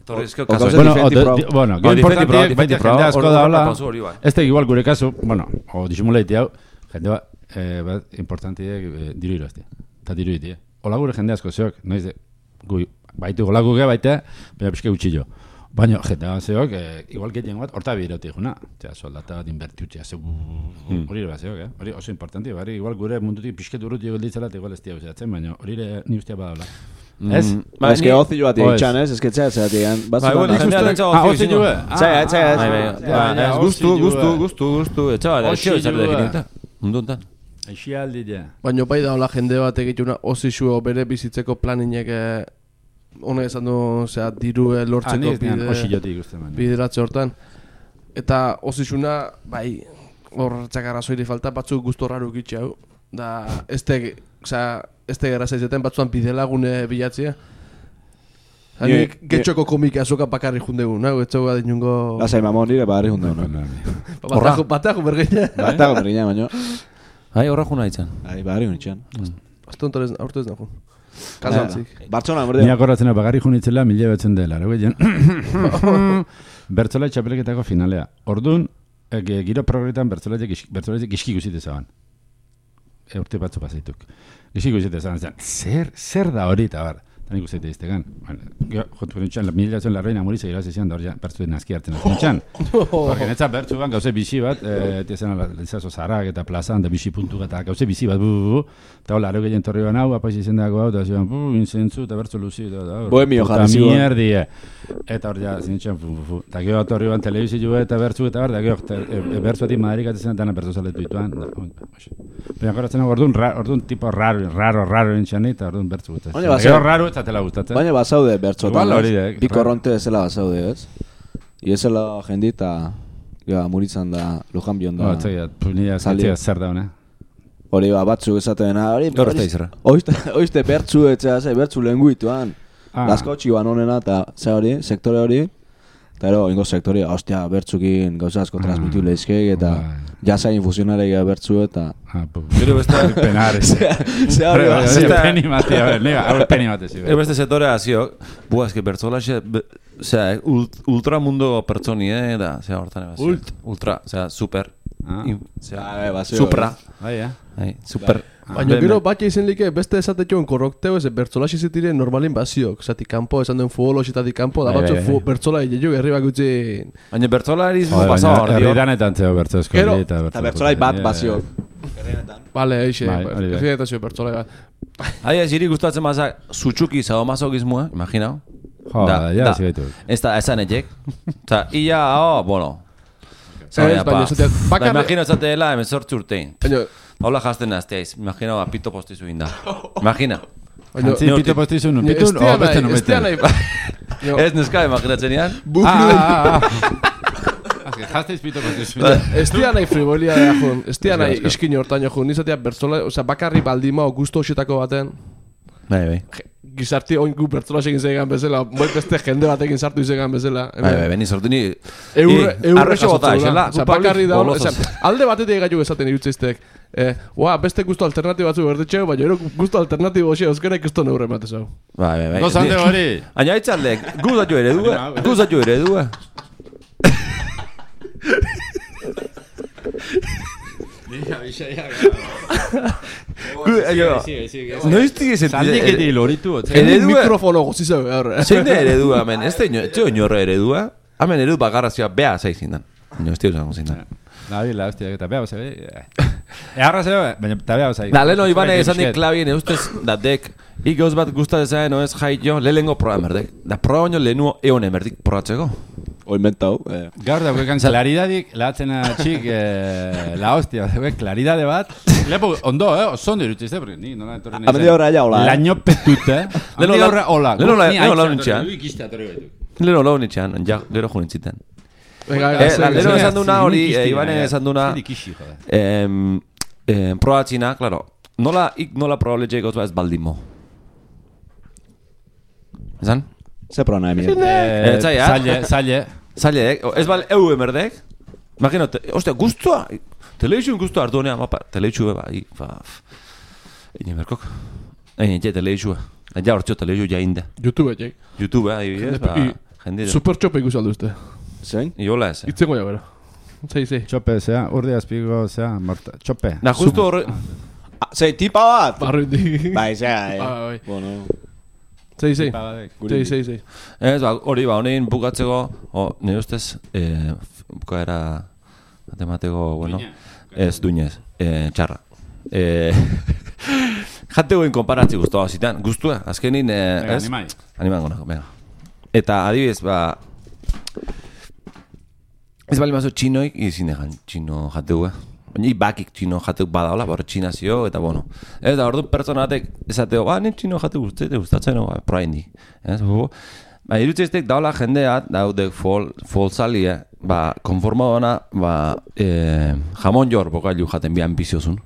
Speaker 3: Bueno, gero importanti, baita jende asko da hola, ez da igual gure kasu, bueno, o disimuleiti hau, jende bat importanti diru irazti, eta diru iti. Ola gure jende asko zeok, noiz de, baitu gola guge baita, baina pixke gutxillo. Baina jende bat zeok, igual getien bat, horta biroti juna, soldata bat inbertiutxea, hori bat zeok, hori oso importanti, bari igual gure mundutik pixke durut ego ditzela, eta igual ez diago zeratzen, baina hori ni ustea badala. Ez?
Speaker 4: Ez que ozi joa diatxan, ez? Ez que txea zeratean.
Speaker 3: Ozi joa?
Speaker 1: Txea. Guztu. Etxabal, etxio ezar definita. Munduntan.
Speaker 3: Aixi aldi ja.
Speaker 2: Baina bai da hola jende bat egituna ozi xuo bere bizitzeko planinek hone esan du, diru lortzeko bideratze hortan. Eta ozi xuna, bai, hor txakarrazoiri falta batzuk guztu raru gitxe hau. Da, ez tegera zaizetan batzuan bidelagune bilatzea. Getxoko komika azoka bakarri jundegu, nago, etxoko bat inungo...
Speaker 4: Lasai mamon nire bakarri jundegu,
Speaker 2: Batago bergeina.
Speaker 4: Batago bergeina, baino.
Speaker 1: Horra juna ditzen.
Speaker 4: Bakarri junitzen.
Speaker 2: Azte hontaren aurtu ez nago. Kasantzik.
Speaker 4: Bartxona, berdea.
Speaker 3: Niak horretzen bakarri junitzela 1000 betzen dela, aragoien. Bertzola txapeleketako finalea. Orduan, giro progretan bertzolatik gizki guzite zaban. Urte batzu pasaituk. Gizki guzite zaban, zer da hori, eta bar, tan ikusteite iztegan. Jotu nintxan, mila zen larreina murize gira zezian, da hori bertzu nazki hartzen nintxan. Porque netza bertzu ban gauze bizi bat, tiezen alizazo zarak eta plazan, da bizi puntu eta gauze bizi bat, eta hola, areu gehien torri ban hau, apaiz izendako hau, eta zian, inzentzu, eta bertzu luzi,
Speaker 4: Bohemio jarri zigo.
Speaker 3: Eta mierdie. Eta hori ja, zinitxan, eta gero torri ban telebizi jo eta bertzu, eta bar, da gero bertzuetik Madrid atezen dana bertzu zaletu dituan. Baina goratzen orduan tipo raro nintxan, eta orduan bertzu gutaz. Gero raro, eta tela gustatzen.
Speaker 4: Baina bazaude bertzotan, bi korronte ezela bazaude, ez? Iezela jendi eta muritzan da, lujan bion da.
Speaker 3: Nire zatzea zer da, hone?
Speaker 4: Hori batzuk esaten, oizte bertzu etzea, bertzu lenguituan. Laskotxi ban honena, eta hori, sektore hori, eta ero, ingo sektore, ostia, bertzukin gauza asko transmitiu lehizkeik, eta jasa infusionarek bertzu, eta...
Speaker 1: Gero beste...
Speaker 3: Penares.
Speaker 4: Ze hori bat, ze
Speaker 3: peni mati, a ver, nega, hau peni mati, zi.
Speaker 1: Ero beste sektore haziok, eske bertzola ultramundo pertsoni, da, hortan ebazio. Ultra, super. Supra. Super.
Speaker 2: Baina gero batxe izen like beste esatetxoen korrokteo ez bertzolaxi zitiren normalin baziok. Zati kanpo, esan duen futbolositatik kanpo, da batxo bertzola egin herri bakutzi...
Speaker 1: Baina bertzola erizmo pasau hor,
Speaker 3: herri danetan zeo bertzozko.
Speaker 4: Eta bertzolai bat baziok.
Speaker 2: Bale, eixe, herri danetan zeo bertzolai bat.
Speaker 1: Aia, ziri gustatzen mazak zutsuki sadomazokizmua, imaginau?
Speaker 3: Ja, zigaitu.
Speaker 1: Ez da, esan etxek. Eta, ia, bueno... Imagino esateela, emezortzi urtein. Hola jazten nazteaiz, imagina pito postizu inda. Imagina.
Speaker 3: Pito postizu nun, pito o beste nun beste.
Speaker 1: Ez neska, imaginatzen ean.
Speaker 3: Jazteiz pito postizu.
Speaker 2: Ez tia nahi frivolia da jun, ez tia nahi iskin hortaino jun, nizatea bertzola, bakarri baldima o gusto hoxetako baten.
Speaker 1: Bai.
Speaker 2: Gizarti oinku bertzola egin zegan bezala, moi beste jende batekin sartu izegan bezala.
Speaker 1: Bai, sortu ni...
Speaker 2: Arrexo bota, esela. Bakarri da, alde batetik egaitu esaten irutzeiztek. Beste gusto alternatibo batzu berdetxeo, baina ero gusto alternatibo hoxe euskera ikusto neurre matezau.
Speaker 1: Bai.
Speaker 3: Gozante hori.
Speaker 1: Aina itzaldek, guzatio eredua. Noiztik ezen...
Speaker 3: Zaldiketi loritu.
Speaker 2: Mikrofono gozizau behar.
Speaker 1: Zein da eredua, amen. Ez da inorra eredua. Amen eredu bakarrazioa beha zaizin dan. Noiztik esan gozin dan.
Speaker 3: Nabila, hostia, eta beha bozai. Eharra zeo, baina eta beha bozai.
Speaker 1: Da, leheno ibane esan dik klabien eustez datek. Ikoz bat gustatzen no ez jaio lehengo programa erdek. Da programa lehenu eon emerdik probatzeko.
Speaker 4: Hoi mentau.
Speaker 3: Gaur da, huekan klaridadik, lahatzen txik, la hostia, klaridade bat. Lepo, ondo, osondo irutizte, porque ni nola entorri nahi zen.
Speaker 4: Amendi horra ja hola.
Speaker 3: Laño petute. Amendi horra hola.
Speaker 1: Leheno launitxean. Leheno launitxean, ja, gero junintziten. Leheno esan duna hori, Ibane esan duna. Probatzina, klaro. Nola probaletxe gauz ez baldimo. Esan?
Speaker 4: Ze prona emien.
Speaker 3: Zaile.
Speaker 1: Ez bal, emerdek. Imagino, ostia, guztua. Teleizun guztua hartu honean, teleizue, Ine merkok. Ine teleizue. Ja hortxo teleizue jainde.
Speaker 2: YouTube, jek.
Speaker 1: YouTube, jende.
Speaker 2: Super txope ikusaldu uste.
Speaker 4: Zein?
Speaker 1: Iola ez.
Speaker 2: Itzengo ja, bera. Zei.
Speaker 3: Txope, zea, urde azpigo, zea, txope.
Speaker 1: Na, justu horre...
Speaker 4: Zei, tipa bat?
Speaker 2: Barrundi.
Speaker 4: Bai, zea, Bueno...
Speaker 2: Zei.
Speaker 1: Ez, hori honein bukatzeko, nire ustez, bukaera matemateko, bueno, ez duinez, txarra. Jategoen konparatzi guztua zitan, guztua, azkenin, ez? Animan gona, venga. Eta adibidez, ez bali mazo txinoik, izin egan txino jategoa. Baina bakik txino jateuk badaola, bora txinazio, eta bueno. Ez da, ordu pertsonatek esateo, nen txino jateuk gustatzen, proa indi. Irutzeiztek daola jendeat, daudek folsalia, konforma dona, jamon jor bokailu jaten bian biziozun.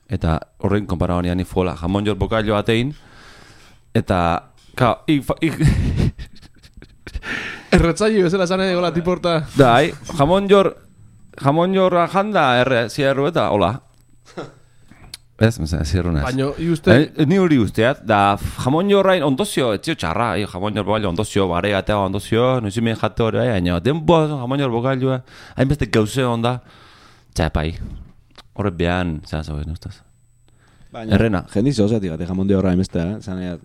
Speaker 1: Eta horrein konpara honi ani fola, jamon jor bokailu atein, eta, kao,
Speaker 2: Erretzaio bezala zane gola tiporta.
Speaker 1: Jamon jorra janda zierru eta hola. Ez, zirrunaz.
Speaker 2: Baina, iuste...
Speaker 1: Ni hori usteat, da jamon jorrain ondozio, etzio txarra, jamon jor bogailua ondozio, bare gatea ondozio, nuzimien jate hori, baina denboa jamon jor bogailua, hainbeste gauze onda, txapai, horret behan, zan zagoen, ustaz.
Speaker 4: Baina,
Speaker 1: errena.
Speaker 4: Jendiz ozatik, jamon de horra hainbeste, zanaiat.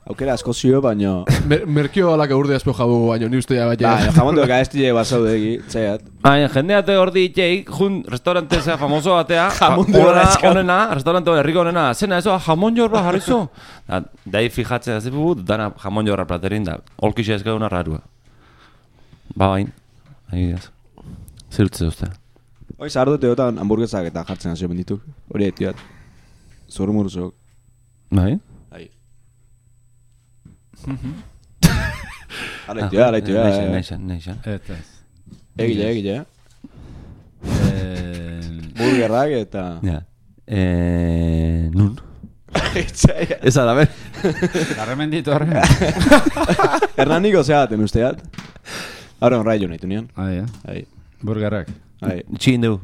Speaker 4: Aukera asko zio, baina...
Speaker 2: Merkio alak urde azpo jabugu, baina ni uste ya bat.
Speaker 4: Baina, jamon de horra ez dile basaude egi, txaiat.
Speaker 1: Baina, jendeate hor ditzeik, jun restaurante zea famoso batea,
Speaker 4: jamon de horra
Speaker 1: onena, restaurante herriko onena, zena eso, jamon jorra jarrizo. Dai fijatzen da zepu, dana jamon jorra platerin da, olkixe ezkaduna rarua. Ba, bain, ez. Zerutze uste.
Speaker 4: Hoi, zahardute hotan hamburguesak eta jartzen hasio bendituk. Hori etiat. Zorumuruzok.
Speaker 1: Bai?
Speaker 4: Araitu.
Speaker 1: Neixan.
Speaker 4: Egile. Burgerrak eta...
Speaker 1: Ja. Nun? Ez da, ber.
Speaker 3: Garremenditu horre.
Speaker 4: Hernaniko zeaten usteat. Hora honraio nahi tunian.
Speaker 3: Ai. Burgerrak.
Speaker 1: Txin du.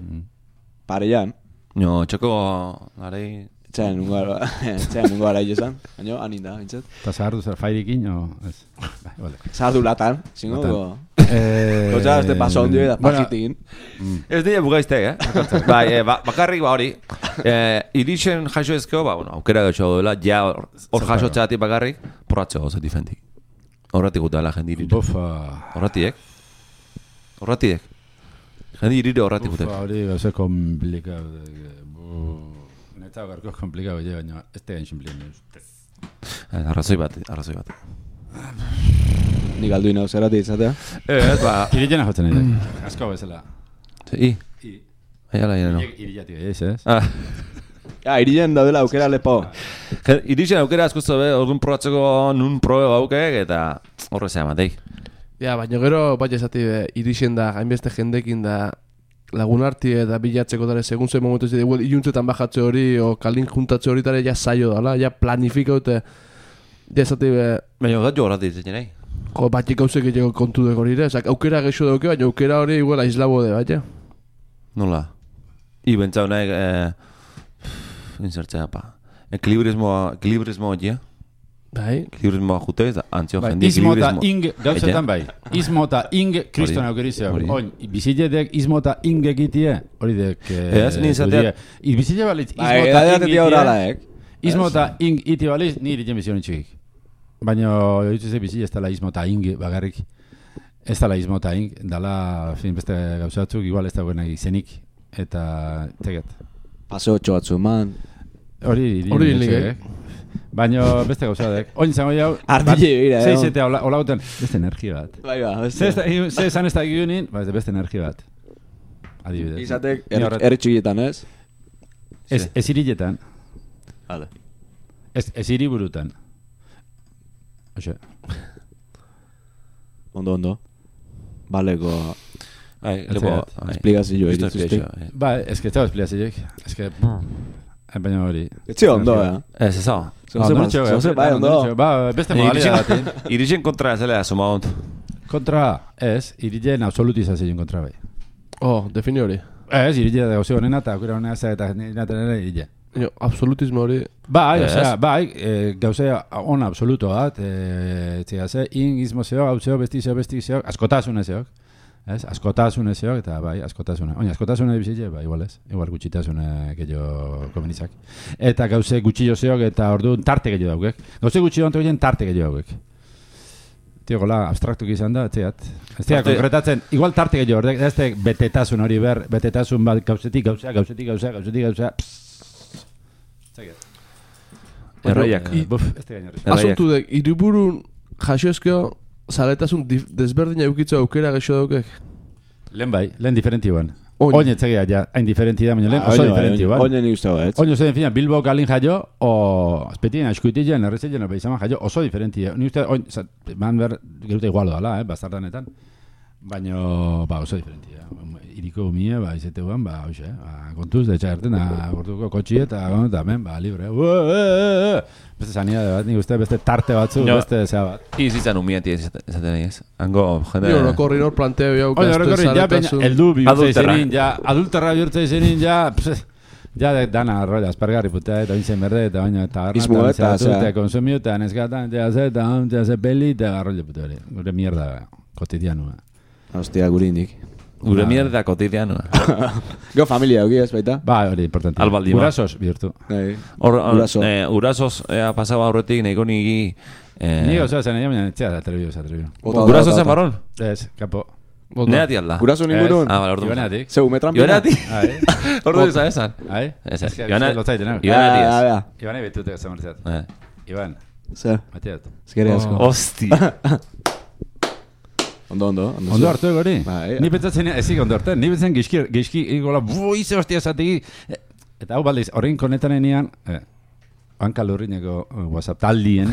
Speaker 3: Pareian.
Speaker 1: No, txoko garei...
Speaker 4: Txain nungo gara izan, baina anin da, bintzat.
Speaker 3: Eta zahardu zer fairikin, o...
Speaker 4: Zahardu latan, zingo go... Kotxa, este paso ondio eta pakitin.
Speaker 1: Ez dira bugaiztek, bakarrik hori. Irixen jaso ezkeo, aukera gautxo duela, ja hor jaso txatik bakarrik, porratxo gauza difentik. Horratik gutela jendi irire. Horratiek. Jendi irire horratik gutela.
Speaker 3: Hori gauza komplikau. Eta garko komplikau, baina ez tegain simplien.
Speaker 1: Arrazoi bat.
Speaker 4: Nik aldu inau zerati izatea?
Speaker 3: Irilena jotzen nahi. Asko bezala.
Speaker 1: Aiala ireno.
Speaker 3: Irilatik ez?
Speaker 4: Irilen daudela aukera lepo.
Speaker 1: Irilen aukera asko zobe, orduan probatzeko nun probe gaukek, eta horre zea mateik.
Speaker 2: Ja, baina gero, bat esati, irixen da, hainbeste jendekin da, lagun arti eta bilatzeko dara, segun zuen momentu ez dira, iuntzetan bajatze hori, o kalin juntatze hori dara, ja saio dala, ja planifika dute, ja esati...
Speaker 1: Baina da jo horrati ditzen nahi.
Speaker 2: Jo, batik gauzek egiteko kontu dugu hori, aukera gexo dugu, baina aukera hori igual aislabo de, baina.
Speaker 1: Nola? Ibentzau nahi, insertzea, ekilibrismo hori,
Speaker 2: Bai.
Speaker 1: Ekilibrismoa jute, antzio jendi
Speaker 3: ekilibrismo. Izmo eta ing, gauzetan bai. Izmo eta ing, kriston aukerizia. Oin, biziletek izmo eta ing egitie, hori dek...
Speaker 1: Ez, nintzatea...
Speaker 3: Bizile balitz, izmo eta ing iti balitz, niri jen bizionen txikik. Baina, dituzte bizile ez dala izmo eta ing bagarrik. Ez dala izmo eta ing, dala, beste gauzatzuk, igual ez dagoen izenik. Eta, teget.
Speaker 4: Paseo txoatzu man.
Speaker 3: Hori hilik, baina beste gauzadek. Oin zango jau...
Speaker 4: Artile bira,
Speaker 3: Zeizetea hola guten, beste energia bat.
Speaker 4: Bai ba, beste.
Speaker 3: Ze esan ez da gionin, beste energia bat. Adibidez.
Speaker 4: Izatek erritxigietan ez?
Speaker 3: Ez iriletan.
Speaker 4: Hale.
Speaker 3: Ez iriburutan. Oxe.
Speaker 4: Ondo. Baleko...
Speaker 1: Lepo...
Speaker 4: Esplikazio
Speaker 3: Ba, ez que estaba esplikazioek. Ez que... Baina hori.
Speaker 4: Etxe ondo,
Speaker 1: Ez eso.
Speaker 4: Bai, ondo.
Speaker 3: Ba, beste modalia batin.
Speaker 1: Irixen kontra ez elea, suma hont.
Speaker 3: Kontra, ez. Irilen absolutizazioen kontra bai.
Speaker 2: Defini hori.
Speaker 3: Ez, irilen da gauzio honena eta aukera honena eta ninaten irilen.
Speaker 2: Absolutismo hori.
Speaker 3: Bai, gauzea on absoluto bat. Txegase, ingizmo zeok, gauzeo, bestizeo, askotasune zeok. Ez, askotasune zeok, eta bai, askotasune. Oina, askotasune bizitze, bai, igual ez. Igual gutxitasune gehiago komenizak. Eta gauze gutxillo zeok, eta orduan tarte gehiago daugek. Gauze gutxillo anto gehien tarte gehiago daugek. Tio, gola, abstraktuk izan da, etziat. Ez tira, konkretatzen, igual tarte gehiago, ez da betetasun hori ber, betetasun bat gauzetik gauzea. Txeget.
Speaker 1: Erraiak.
Speaker 2: Asuntu dek, iriburun jasoezkeo, zaletasun desberdina eukitza aukera gexo daukek?
Speaker 3: Lehen diferentioan. Oin etzegea, ja, hain diferenti da, baina lehen oso diferentioan.
Speaker 4: Oin eni uste ez?
Speaker 3: Oin uste den Bilbo galin jaio, o azpetien, askuitien, errezetien, opeizaman jaio, oso diferentia. Ni uste, oin, man ber, geruta igualo dala, bastardanetan. Baina, oso diferentia. Iriko umie, izeteguan, hoxe, kontuz, de txagerten, gortuko kotxi eta hemen, libre. Beste zania bat, nik uste, beste tarte batzu, beste zea bat.
Speaker 1: Izitzan umieti ezaten nahi ez. Hango, jende...
Speaker 2: Nio, horrekorri nor planteo jau,
Speaker 3: eldu bihurtza izenin, adulterra bihurtza izenin, Ja, dana arrolla, aspargarri putea, eta bintzen berde, eta baina, eta
Speaker 4: arnatan
Speaker 3: zeratute, konsumiu, eta neskatan, eta ze peli, eta arrolla putea hori. Gure mierda, kotidianua.
Speaker 4: Hostia, gure indik.
Speaker 1: Gure mierda kotidianua.
Speaker 4: Gero familia, hori ez baita?
Speaker 3: Ba, hori, importante.
Speaker 1: Albaldima.
Speaker 3: Urasos, bihurtu.
Speaker 1: Urasos, pasaba horretik, nahiko nigi...
Speaker 3: Nigo, zoa zen, baina, etxea, atrebiu.
Speaker 1: Urasos zen barron?
Speaker 3: Ez, kapo.
Speaker 1: Neati alda.
Speaker 4: Uraso ningurun?
Speaker 1: Ordu.
Speaker 3: Ibaneatik.
Speaker 4: Zeu, metranpina?
Speaker 1: Ibaneatik. Ordu izan esan.
Speaker 3: Ibanetik. Ibanetik betute zamortzat. Iban.
Speaker 4: Zer?
Speaker 3: Mateat.
Speaker 4: Zikeri asko.
Speaker 1: Hosti.
Speaker 4: Ondo.
Speaker 3: Ondo hartu egori? Ni pentsatzen, ezik ondo hartu. Ni pentsatzen gizki igola, buize hostia esategi. Eta hau baldiz, horrein konetanean, hanka lurrineko WhatsApp taldien,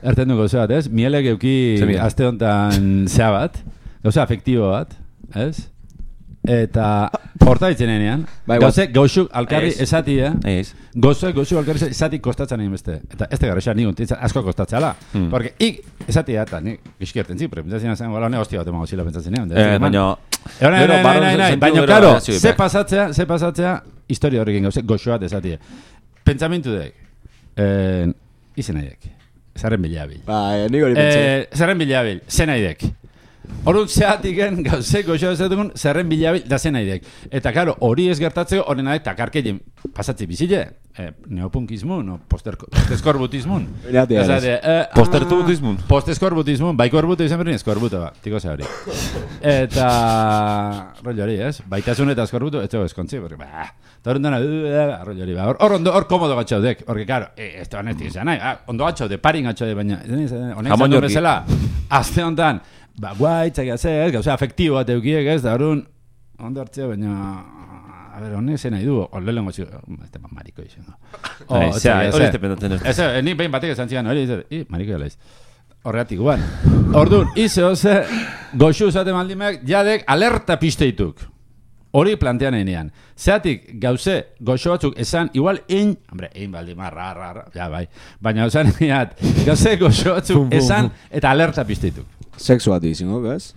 Speaker 3: erten dugu zebat, ez? Miele geuki aste honetan zea bat, gauza afektibo bat, ez? Eta horta ditzenean, gauzuk alkarri esatia, gauzuk alkarri esatik kostatzen egin beste. Eta ez tegarra esan nigun, asko kostatzeala. Porque ik esatia eta nik gizkierten zi, pero pentsatzen zen, hola, hostia bat emago zila pentsatzen egin. Baina, karo, ze pasatzea, historia horrekin gauzek goxo bat esatia. Pentsamentu dek, izen nahiek, zerren bilabil.
Speaker 4: Nik hori pentsa.
Speaker 3: Zerren bilabil, zen nahiek. Horun zeatiken gauzek goxo ezatukun zerren bilabil da zen nahiek. Eta karo, hori ez gertatzeko horren nahi takarkeien pasatzi bizile. Neopunkizmun, o posteskorbutismun.
Speaker 1: Postertubutismun.
Speaker 3: Posteskorbutismun, bai korbutu izan berrin eskorbutu, tiko ze hori. Eta rollo hori, ez? Baitasun eta eskorbutu, ez dugu eskontzi, porque, eta horren dena, rollo hori, hor komodo gatxaudek, porque, karo, ez da honetik izan nahi, ondo gatxaude, parin gatxaude, baina, honek zan duen bezala, azte honetan, guai, txakia zer, gauza afektibo bat eukiek, ez, da horren, ondo hartzea, baina, a ver, honek zen nahi du, horrelen gotxik, ez da mariko izan.
Speaker 1: Hori ez dependatzen ez.
Speaker 3: Ni behin batek esan zian, hori, mariko gala iz. Horregatik guan. Orduan, ize hoze, goxu zaten maldimeak, jadek alerta pisteituk. Hori plantean enean. Zeatik, gauze, goxo batzuk esan, igual ein baldima, ja bai, baina esan eneat, gauze, goxo batzuk esan, eta alerta pisteituk.
Speaker 4: Sexu bat izango, gaz?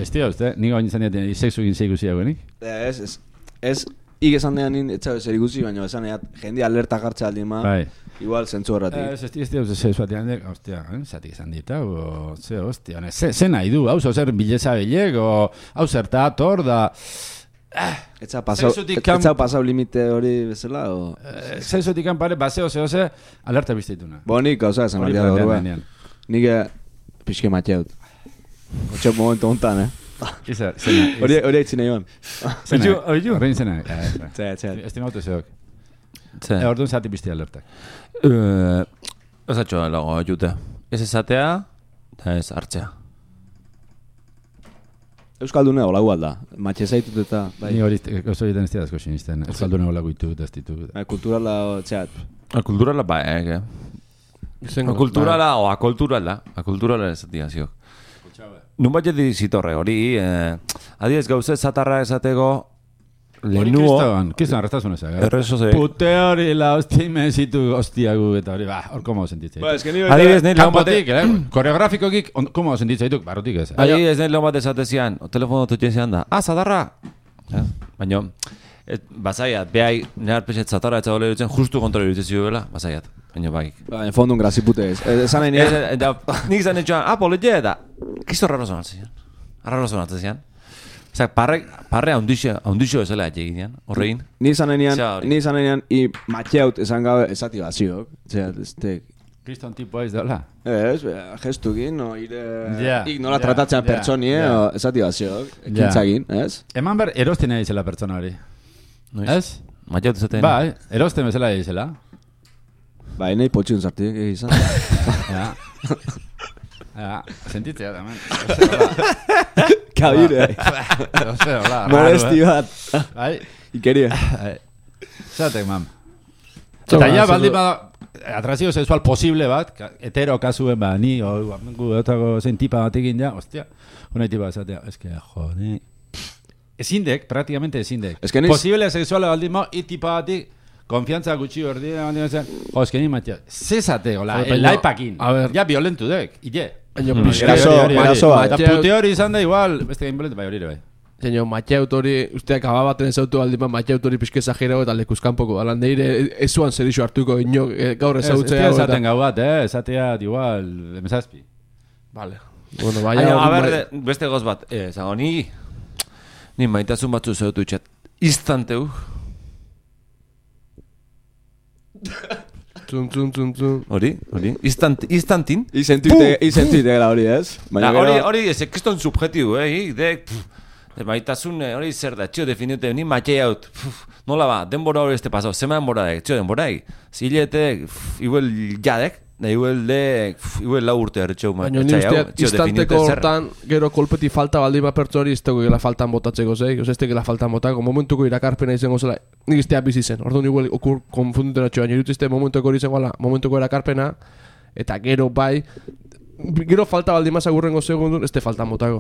Speaker 3: Ez tira, uste, nik hau nintzen diaten, sexu egin zeikusi haguenik?
Speaker 4: Ez, ik esan dean nint, etxabe zer ikusi, baina esan eat, jende alerta jartza aldima, igual zentzu horretik.
Speaker 3: Ez tira, sexu bat dian, ostia, zatik esan dita, ostia, ze nahi du, hau zer bileza bilek, hau zerta, tor da...
Speaker 4: Etza pasau limite hori bezala, o...
Speaker 3: Sexutik kanpare, baseo, zehose, alerta bizteituna.
Speaker 4: Nik gauza esan hori da horrean. Nik pixke mateaut. Otxo momentu hontan, Hori haitzina joan.
Speaker 3: Horrein zena. Estimautu zeok. Orduan zati bizti alertak.
Speaker 1: Ez atxo lago jute. Ez ezatea, eta ez hartzea.
Speaker 4: Euskaldune hola gualda. Matxe zaitut eta...
Speaker 3: Ni hori oso egiten ez tiadazko sinisten. Euskaldune hola guitu, ez ditu.
Speaker 4: Kulturala, txat.
Speaker 1: Kulturala ba, Akulturala o akulturala. Akulturala ez atia ziok. Nun bat jedi zitorre hori, adiez gauze zatarra esatego lehenuo...
Speaker 3: Kistan arrestazun ezak,
Speaker 1: Errezo ze...
Speaker 3: Pute hori la hostia imenzitu hostiagu eta hori, hor komo sentitzea.
Speaker 1: Adiez nahi lehon bate...
Speaker 3: Koreografikokik, komo sentitzea dituk, barrutik ez.
Speaker 1: Adiez nahi lehon bate esatezian, o telefono tutxezian da, zadarra! Baina, bazaiat, behai, nehar pexet zatarra etza gole dutzen, justu kontrole dutzen zioela, bazaiat. Baina bakik.
Speaker 4: En fondun grazipute ez. Esan nahi nire...
Speaker 1: Nik zan etxoan, poletje eta... Kisto raro zonatzen zian. Raro zonatzen zian. Zak, parre haundixo ezela egin, horrein.
Speaker 4: Ni zan nahi i matxeaut esan gabe esati baziok.
Speaker 3: Kriston tipo ez dola?
Speaker 4: Ez, gestukin, ik nola tratatzen pertsonie, esati baziok. Ekintzagin, ez?
Speaker 3: Eman ber, erosten nahi zela pertsona hori. Ez?
Speaker 1: Matxeaut ezaten.
Speaker 3: Ba, erosten bezala egizela.
Speaker 4: Ba, nahi potxun zartik egizan.
Speaker 3: Sentitzea da, man.
Speaker 4: Kabire. Molesti bat. Ikeria.
Speaker 3: Zatek, man. Eta ja, baldin bada, atrazio sexual posible bat, hetero kasuen ba, ni, otako zein tipa batekin ja, ostia, unai tipa zatea, eske, jode. Ezindek, praktikamente ezindek. Posible sexual baldin bada, tipa batik, konfiantza gutxi hordi, esken imatia, zezate, laipakin, ja violentu dek, ite.
Speaker 4: Eraso bat.
Speaker 3: Eta pute hori izan da igual, beste gain boletu, bai hori bai.
Speaker 2: Zeño, Matxeut hori, usteak ababaten ezautu aldiman Matxeut hori pixke exagerau eta lekuzkanpoko. Alan deire, ezuan zer iso hartuko ino gaur ezautzea.
Speaker 3: Ez esaten gau bat, esatea, igual, emezazpi.
Speaker 2: Vale. Bueno, baina...
Speaker 1: A ber, beste goz bat, zago, ni maitasun batzu zeutu itxat. Istanteu.
Speaker 2: Zun.
Speaker 1: Hori. Istantin.
Speaker 4: Izentuitegela hori, ez?
Speaker 1: Hori, ez ekiston subjetibu, maitasun hori zer da, txio definite, ni matxei haut, nola ba, denbora hori este pasau, zema denbora dek, txio denbora dek, ziletek, igual jadek, da igual lau urte erretxeu
Speaker 2: matxai hau, txio definite zer. Istanteko hortan, gero kolpeti falta baldima pertsu hori, ez teko gela faltan botatzeko zeik, ez teko gela faltan botako, momentuko irakarpena izango zela, nik iztea bizi zen, orduan igual okur konfunduten atxo, baina irutizte momentuko hori izango momentuko irakarpena, eta gero bai, gero falta baldimasa gurrengo segundun, ez te faltan botako.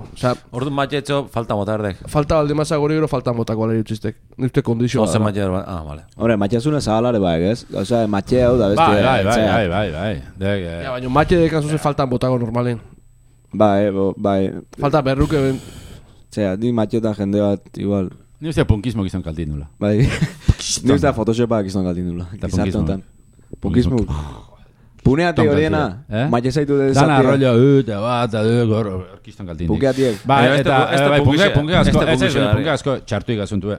Speaker 1: Orduan matxetxo, falta botardek.
Speaker 2: Falta baldimasa gure gero faltan botako ala irutiztek. Nuzte kondizioa.
Speaker 1: Ose matxetxo, vale.
Speaker 4: Hombre, matxezuna zabalare baek, ez? Osea, matxe hau da beste...
Speaker 3: Bai.
Speaker 2: Ja, baina matxe dekan zuzen faltan botako normalen.
Speaker 4: Bai.
Speaker 2: Falta berruke ben...
Speaker 4: Zea, ni matxetan jende bat, igual...
Speaker 3: Ni ustea punkismo gizon kaltin nula.
Speaker 4: Bai. Ni ustea photoshopak gizon kaltin nula. Gizarte punkismo. Puneate horiena, matxe zaitu dut esatia.
Speaker 3: Dana rollo, eta bat, orkiston kaltindik.
Speaker 4: Pukeatiek.
Speaker 3: Punke asko txartu ikasuntu.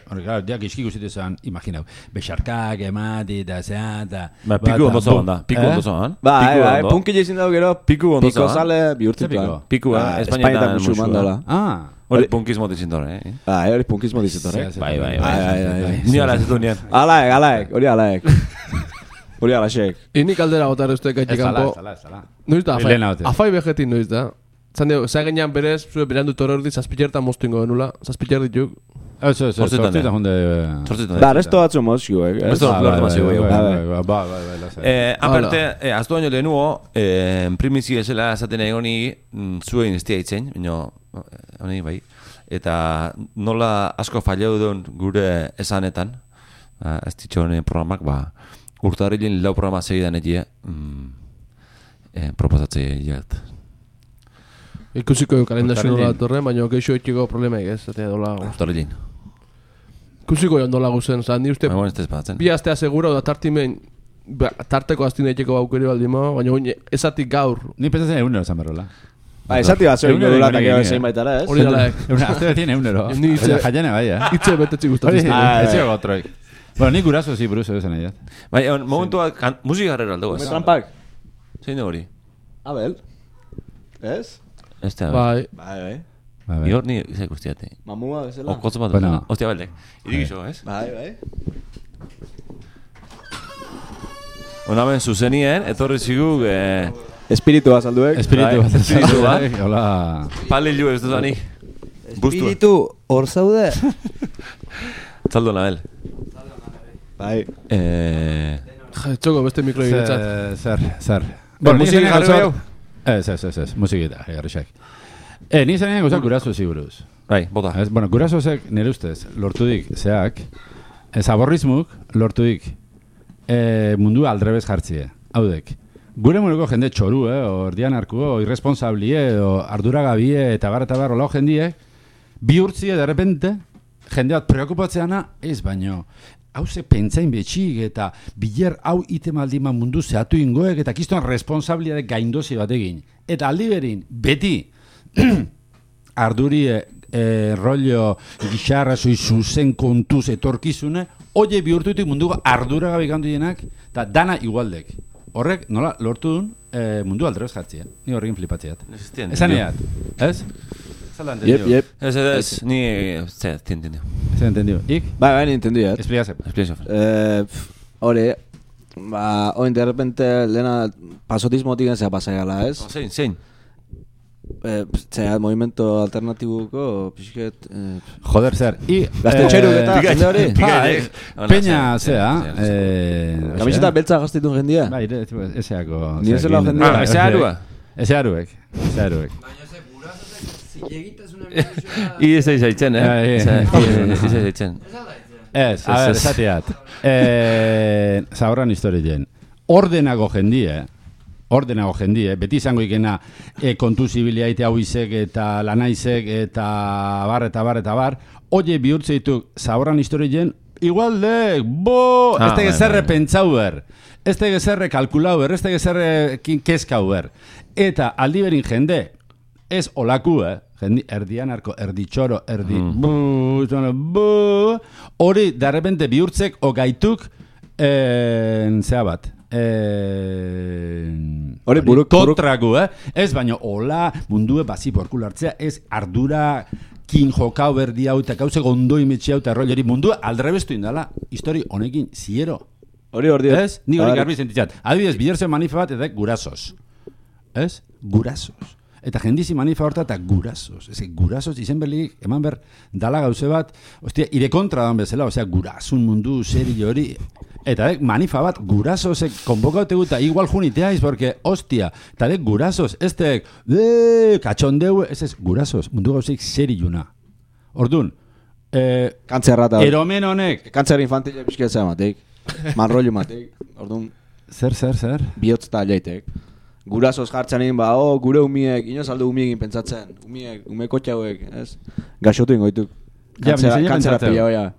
Speaker 3: Diak iskik usitu zen, imaginau, bexarkak, emati, eta zean, eta...
Speaker 1: Piku ondo zoan da, piku ondo zoan.
Speaker 4: Bai, punki jezin dago gero,
Speaker 1: piku
Speaker 4: zale bihurtituan.
Speaker 1: Piku, Espainetan
Speaker 4: musuan.
Speaker 1: Hori punkismo dizintore,
Speaker 4: hori punkismo dizintore.
Speaker 1: Bai. Ni ala ez du nien.
Speaker 4: Alaek, hori alaek. Hori alaxek.
Speaker 2: Inik aldera gotar uste gaitxik kanpo.
Speaker 3: Ez ala.
Speaker 2: Noiz da, afai bejetin noiz da. Zan dugu, zagenean berez, zure berandu torordi, zazpillertan moztuingo denula. Zazpiller dituk.
Speaker 3: Zortzitan hunde...
Speaker 4: Da, resto batzu mozio,
Speaker 1: Resto batzu mozio,
Speaker 3: Bai.
Speaker 1: Aparte, aztu baino lehenuo, primizi esela esaten egoni zuen iztia itzen, honi bai. Eta nola asko fallau duen gure esanetan, ez ditxoren programak, urtarrilin lau programa segidan egia proposatzea egiat.
Speaker 2: Ikusiko kalendazio nola torren, baina keixo etxiko problema egez.
Speaker 1: Urtarrilin.
Speaker 2: Ikusiko joan dola guzen, ni uste bi astea segura da tartimen tarteko astine etxeko aukeri baldimo, baina esatik gaur.
Speaker 3: Ni pensatzen egunero esan berrola.
Speaker 4: Esati bat zoin gero latak ego zein baitara, ez?
Speaker 2: Hori dalaek.
Speaker 3: Azte betien egunero. Jaiane bai,
Speaker 2: Itxe betetzi gustatzen.
Speaker 3: Ez ego otroik. Bueno, ni guraso zi buruzo esan egin.
Speaker 1: Bai, momentu bat, musika garrera aldo, ez?
Speaker 4: Metrampak.
Speaker 1: Zein hori?
Speaker 4: Abel. Ez?
Speaker 1: Ez da, bai.
Speaker 4: Bai.
Speaker 1: Ior ni izak ustiate.
Speaker 4: Mamua, bezala.
Speaker 1: Okotzo bat, ostia baldek. Irik iso, ez?
Speaker 4: Bai.
Speaker 1: Onamen zuzenien, etorri ziguk...
Speaker 4: Espiritu bat salduek.
Speaker 3: Espiritu bat. Hola.
Speaker 1: Palilu ez duzani.
Speaker 4: Espiritu, hor zaude.
Speaker 1: Zaldo nabel.
Speaker 4: Bai.
Speaker 2: Txoko, beste mikro egitzat.
Speaker 3: Zer.
Speaker 1: Musik jarri behau?
Speaker 3: Ez, musikita, egarrixak. Ni zanean gauzak guraso ziguruz.
Speaker 1: Bai, bota.
Speaker 3: Bueno, gurasozek nire ustez, lortudik, zeak, zaborrizmuk lortudik mundu aldrebez jartzie. Haudek, gure muruko jende txoru, ordian arkuo, irresponsablie, arduragabie, eta bar, olao jendie, bihurtzie, de repente, jende bat preokupatzeana, ez baino, hauze pentsain betxik eta biler hau itemaldiman mundu zehatu ingoek eta kiston responsabliadek gaindozi batekin. Eta aldi berin, beti, ardurie rollo gixarra zuzen kontuz etorkizune, oie bihurtutik munduko arduragabe gandu jenak, eta dana igualdek. Horrek, nola, lortu duen mundu aldrebez jartzea. Ni horrekin flipatzeat. Esan eat, ez?
Speaker 4: Yep.
Speaker 1: Ez, ni... Zer, entendio.
Speaker 3: Zer, entendio. Ik?
Speaker 4: Bai, entendio,
Speaker 3: Explicaze.
Speaker 4: Hore, oin de repente, lehena pasotismotik zea pasaiala, ez?
Speaker 1: Zein?
Speaker 4: Zea, movimento alternatibuko, pixket...
Speaker 3: Joder, zer.
Speaker 4: Gazte txeruk eta, jende hori?
Speaker 3: Peña, zea.
Speaker 4: Kamiseta beltza gaztitun jendia?
Speaker 3: Bai, ezeako.
Speaker 4: Ni ezela jendia?
Speaker 3: Ezearuek.
Speaker 1: Ez zaitzen, Ez zaitzen.
Speaker 3: Ez, a ver, esateat. Zahoran historien. Ordenago jendie, ordenago jendie, beti izango ikena kontuzibiliaite hau izek eta lanaizek eta bar, oie bihurtze dituk zaborran historien, igual de, ez tege zerre pentsau ber, ez tege zerre kalkulau ber, ez tege zerre kezkau ber. Eta aldi berin jende, ez olaku, erdian arko, erditxoro, hori, de repente bihurtzek ogaituk, zea bat, kontraku, ez baino, hola, mundue bazi porkulartzea, ez ardura kin jokau berdi hau, eta gauze gondoi metxe hau, eta erroi mundue aldrebestu indala, histori honekin ziero.
Speaker 4: Hori,
Speaker 3: ez? Ni hori garbi sentitzat. Adibidez, biderzen manifa bat, eta gurasos. Ez? Gurasos. Eta jendizi manifa horta eta gurasos. Ez, gurasos izen berlik, eman ber, dala gauze bat, ostia, ire kontra dan bezala, osea, gurasun mundu, seri hori. Eta manifa bat, gurasosek konbokaute guta, igual juniteaiz, porque, ostia, eta gurasos, ez tek, katxondeu, ez, gurasos, mundu gauzeik seri juna. Ordun,
Speaker 4: kantzerrata.
Speaker 3: Eromen honek.
Speaker 4: Kantzer infantile pixketzea matek, manrollo matek, ordun.
Speaker 3: Zer?
Speaker 4: Bihotz eta jaitek. Gurasoz jartzen egin, gure umiek, inoz alde umiekin pentsatzen, umeko txauek, ez? Gaxotu ingoituk. Kantzera pila hoia.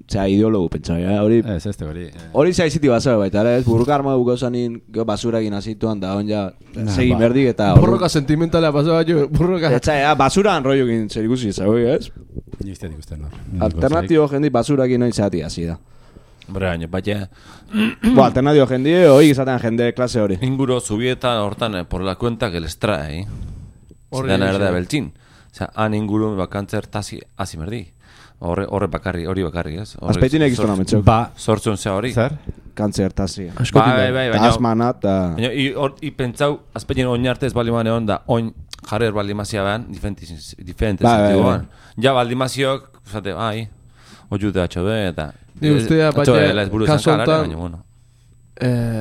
Speaker 4: Zea, ideologu pentsa, hori...
Speaker 3: Ez, ez te hori.
Speaker 4: Hori zea iziti basura baita, ez? Burruka arma dugu zanin, basurakin azituan da, on ja, segi merdik eta...
Speaker 2: Borroka sentimentalea pasaba jo, burroka...
Speaker 4: Eta, basuran roiokin zer ikusi zagoi, ez?
Speaker 3: Nizteat ikusten, no?
Speaker 4: Alternatibo jendi basurakin noiz zati hasi da.
Speaker 1: Baina,
Speaker 4: alternatibo jendi, hoi izatean jende klase hori.
Speaker 1: Inguro zubieta hortan, por la cuenta que les trae, Zeran erdea beltxin. Osea, han inguru bakantzer tazi hasi merdi. Hori bakarri, ez?
Speaker 4: Azpeitinek iztona metxok.
Speaker 1: Sortzun zea hori.
Speaker 3: Zer?
Speaker 4: Kantzer tazi.
Speaker 1: Bai,
Speaker 4: asmana eta...
Speaker 1: I pentsau, azpeitien oin arte ez balimane onda, oin jarrer balimazia behan, diferente
Speaker 4: bai.
Speaker 1: Ja baldimaziok, zate, oiute atxode, eta...
Speaker 2: Ni ustea, baina, kaso hontan,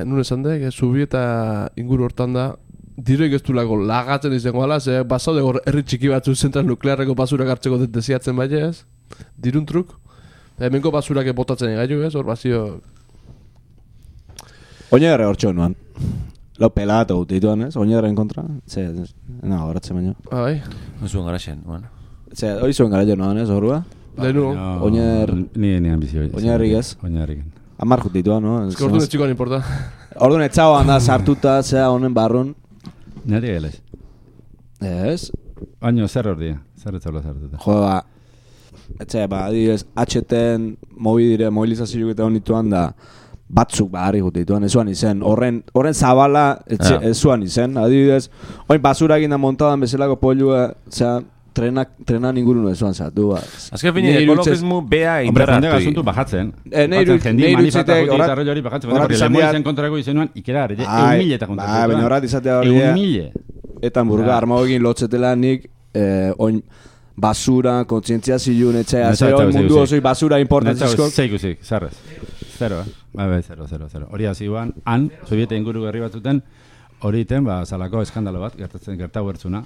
Speaker 2: nun esan dek, zubieta inguru hortan da, diroik ez du lago lagatzen izango ala, ze basaude hor herri txiki batzu zentral nuklearreko basurak hartzeko desiatzen baina ez, dirun truk, hemenko basurak botatzen egaitu ez, hor bazio...
Speaker 4: Oinarre hor txonuan, lau pelatu dituan ez, oinarren kontra, horatzen baino.
Speaker 2: Bai.
Speaker 1: Zuen garaxen, bueno.
Speaker 4: Hori zuen garaxen noan ez, horrua?
Speaker 2: Lehenu.
Speaker 3: Ni ambizio.
Speaker 4: Oinarrik ez?
Speaker 3: Oinarrik.
Speaker 4: Amar jutituan, no?
Speaker 2: Ez que orduan ez txikoan importa.
Speaker 4: Orduan etxau handa sartuta, zea honen barrun.
Speaker 3: Nari gelez.
Speaker 4: Ez?
Speaker 3: Baina zer hor dia, zer etxaula sartuta.
Speaker 4: Jo, adibidez, HTen mobilizazioak eta honituan da, batzuk harri jutituan, ez zuan izen. Horren zabala ez zuan izen. Adibidez, oin basurakin da montadan bezalako polua, zea, trenan ingurun ezuan zatu.
Speaker 1: Azken fini, ekologismu bea indarratu.
Speaker 3: Hombre, jende gazuntu bajatzen. Jendi manifestako hori bajatzen. Porque lemoizen kontrako izenuan, ikera, eumile eta kontrako.
Speaker 4: Baina horrat izatea hori.
Speaker 3: Eumile.
Speaker 4: Eta hamburga armagoekin lotzetela nik, oin basura, kontzientzia zilun, etxea, zero, mundu osoi basura importantzizko.
Speaker 3: Zeikusik, zarrez. Zero, zero. Hori hasi guan, han, sobieta inguru gerri batzuten, hori iten, zalako eskandalo bat, gertau gertzuna.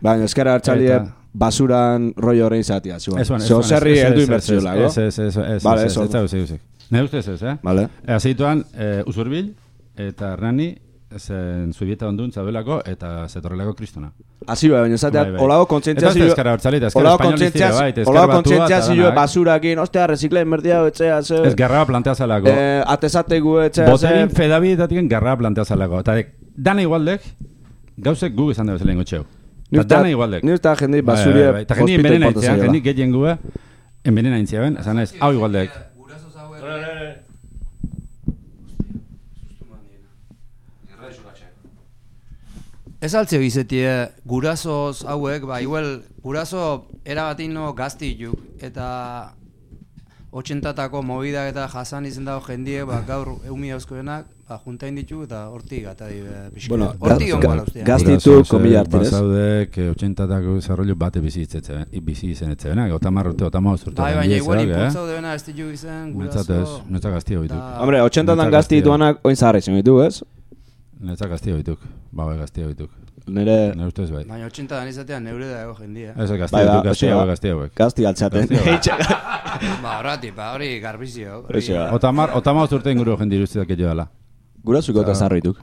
Speaker 4: Baina, eskara hartxalie, basuran rollo horrein zatia, zuan. Zerri heldu inbertzio lago.
Speaker 3: Ez. Ne ustez ez,
Speaker 4: Vale.
Speaker 3: Azituan, Usurbil, eta Hernani, zen zubieta ondun zabelako, eta zetorrelako kristona.
Speaker 4: Asi baina, zateak, olago kontzientziazio...
Speaker 3: Eta eskara hartzalita, eskara espainoliztira, bai,
Speaker 4: olago kontzientziazio basurakin, ostea, rezikleen merdia, etxea, zeu...
Speaker 3: Ez garraba plantea zalako.
Speaker 4: Atezategu, etxea, zeu...
Speaker 3: Boterin fedabidetatik garraba plantea zalako. Eta dana igualdek, gauzek gu izan dago zelen gotxeu. Dana igualdek.
Speaker 4: Ni usta jendei basuria...
Speaker 3: Eta jendei envenena intzian, jendei getien gu, envenena intzian, esan ez, hau igualdek.
Speaker 5: Ez altzeo izetie, gurasoz hauek, igual, guraso erabatino gazti juk, eta 80-tako mobidak eta jasan izen dago jendie, gaur eumi hauzkoenak, juntain ditu eta hortik gata pixka. Hortik ongoa ustea.
Speaker 4: Gaztitu komila hartin ez?
Speaker 3: Basaudek 80-tako desarrollo bate bizi izen etzebenak, otamar urte, otamauz urte.
Speaker 5: Baina igual impultzaude bena ez ditu izen, guraso...
Speaker 3: Netzak gazti hoituk.
Speaker 4: Hombre, 80-tan gazti dituanak oin zaharra izan ditu, ez?
Speaker 3: Netzak gazti hoituk, gazti hoituk.
Speaker 4: Nere
Speaker 3: ustez bai.
Speaker 5: Baina 80-dan izatean neure dago jendia.
Speaker 3: Ez gazti hauek.
Speaker 4: Gazti altzaten.
Speaker 5: Horrati, hori garbizio.
Speaker 3: Otamauz urte inguru jendi iruztiak edo dela.
Speaker 4: Gurazuko eta zarroituk.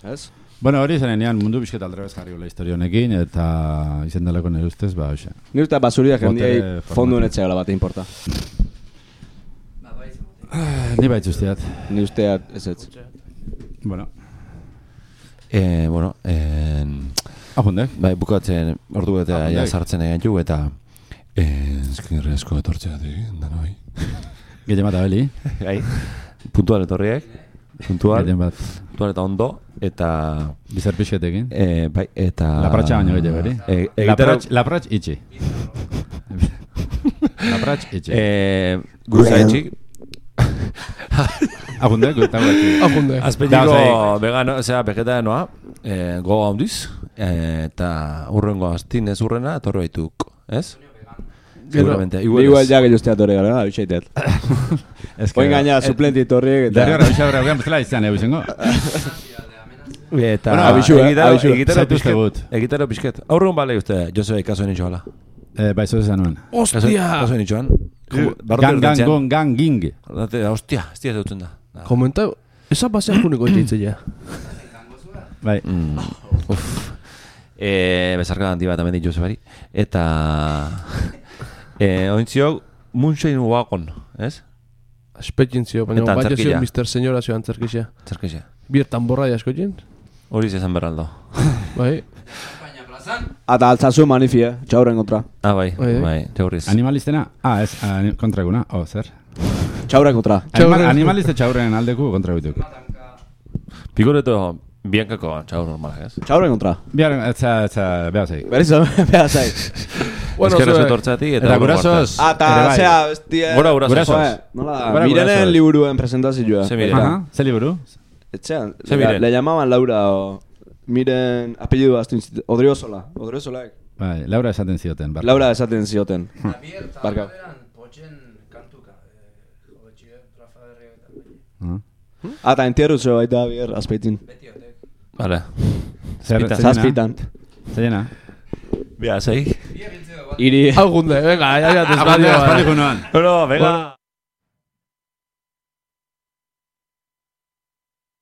Speaker 4: Ez?
Speaker 3: Bueno, hori zenean mundu bizket aldrebez jarri gola historia honekin, eta izen daleko nire ustez, ba, hoxe.
Speaker 4: Nire eta basuriak jendiai fondu netzea gala bat importa.
Speaker 3: Ni baitz usteat.
Speaker 4: Ni usteat, ez ez.
Speaker 3: Bueno.
Speaker 1: Bueno,
Speaker 3: Apundek?
Speaker 1: Bai, bukatzen ordu eta ja sartzen egin ju, eta eskerrezko etortzeatik, danoi.
Speaker 3: Gehien bat abeli.
Speaker 1: Gai, puntual etorriek. Puntual eta ondo, eta...
Speaker 3: Bizar pixketekin.
Speaker 1: Bai, eta...
Speaker 3: Lapratxa baino gehien beri. Lapratx itxi. Lapratx itxi.
Speaker 1: Guruza etxik.
Speaker 3: Apundek,
Speaker 2: Apundek.
Speaker 1: Azpetiko vegano, vegetarianoa, goga handiz, eta urrengo astin ez urrena, etorro baituk, ez? Seguramente.
Speaker 4: Igual ya que yo estoy a torre, ¿verdad? Bichaitet. Oin gaina suplenti torriek eta...
Speaker 3: Derriora bixabra guean bezala izan izango.
Speaker 1: Eta egitaro pixket. Aurrun bale uste, Joseba ikaso nintxo bala.
Speaker 3: Bai, zo esan nuen.
Speaker 2: Ostia!
Speaker 1: Kaso nintxoan.
Speaker 3: Gang.
Speaker 1: Ostia, ez dira dutzen da.
Speaker 2: Komenta, esa basean juniko etxeitzea.
Speaker 3: Bai.
Speaker 1: Bezarka handi bat amendik Josebari. Eta... Ointziok, Moonshine Wagon, ez?
Speaker 2: Espetintzio, baina bat zio Mr. Señora zio antzerkixea.
Speaker 1: Antzerkixea.
Speaker 2: Biertan borra jasko jen?
Speaker 1: Hori zezan berraldo.
Speaker 2: Bai.
Speaker 4: Ata altzazu manifia, txauren kontra.
Speaker 1: Bai, txaurriz.
Speaker 3: Animalistena? Ez, kontra eguna, zer?
Speaker 4: Txauren kontra.
Speaker 3: Animaliste txaurren aldeku kontra egituk.
Speaker 1: Pikoreto, biankako txaur normal, ez?
Speaker 4: Txauren kontra.
Speaker 3: Biaren, beha zei.
Speaker 4: Berizo, beha zei.
Speaker 1: Eskerrez etortzatik
Speaker 3: eta gurasos.
Speaker 4: Eta, zera, bestia...
Speaker 1: Gurasos.
Speaker 4: Nola, Mirenen liburuen presentazioa.
Speaker 3: Ze liburu?
Speaker 4: Etxean, le llamaban Laura o... Miren, apellidu aztu Odriozola. Odriozolaek.
Speaker 3: Bai, Laura esaten zioten.
Speaker 4: Laura esaten zioten.
Speaker 5: Barka. Pochen kantuka.
Speaker 4: Eta entierru zeo baita bier, azpeitin.
Speaker 1: Vale.
Speaker 4: Zazpitan.
Speaker 3: Zena.
Speaker 1: Bia, zei.
Speaker 4: Iri.
Speaker 2: Algunde, venga, ya desvadio.
Speaker 3: Espaldiko noan.
Speaker 1: No, venga.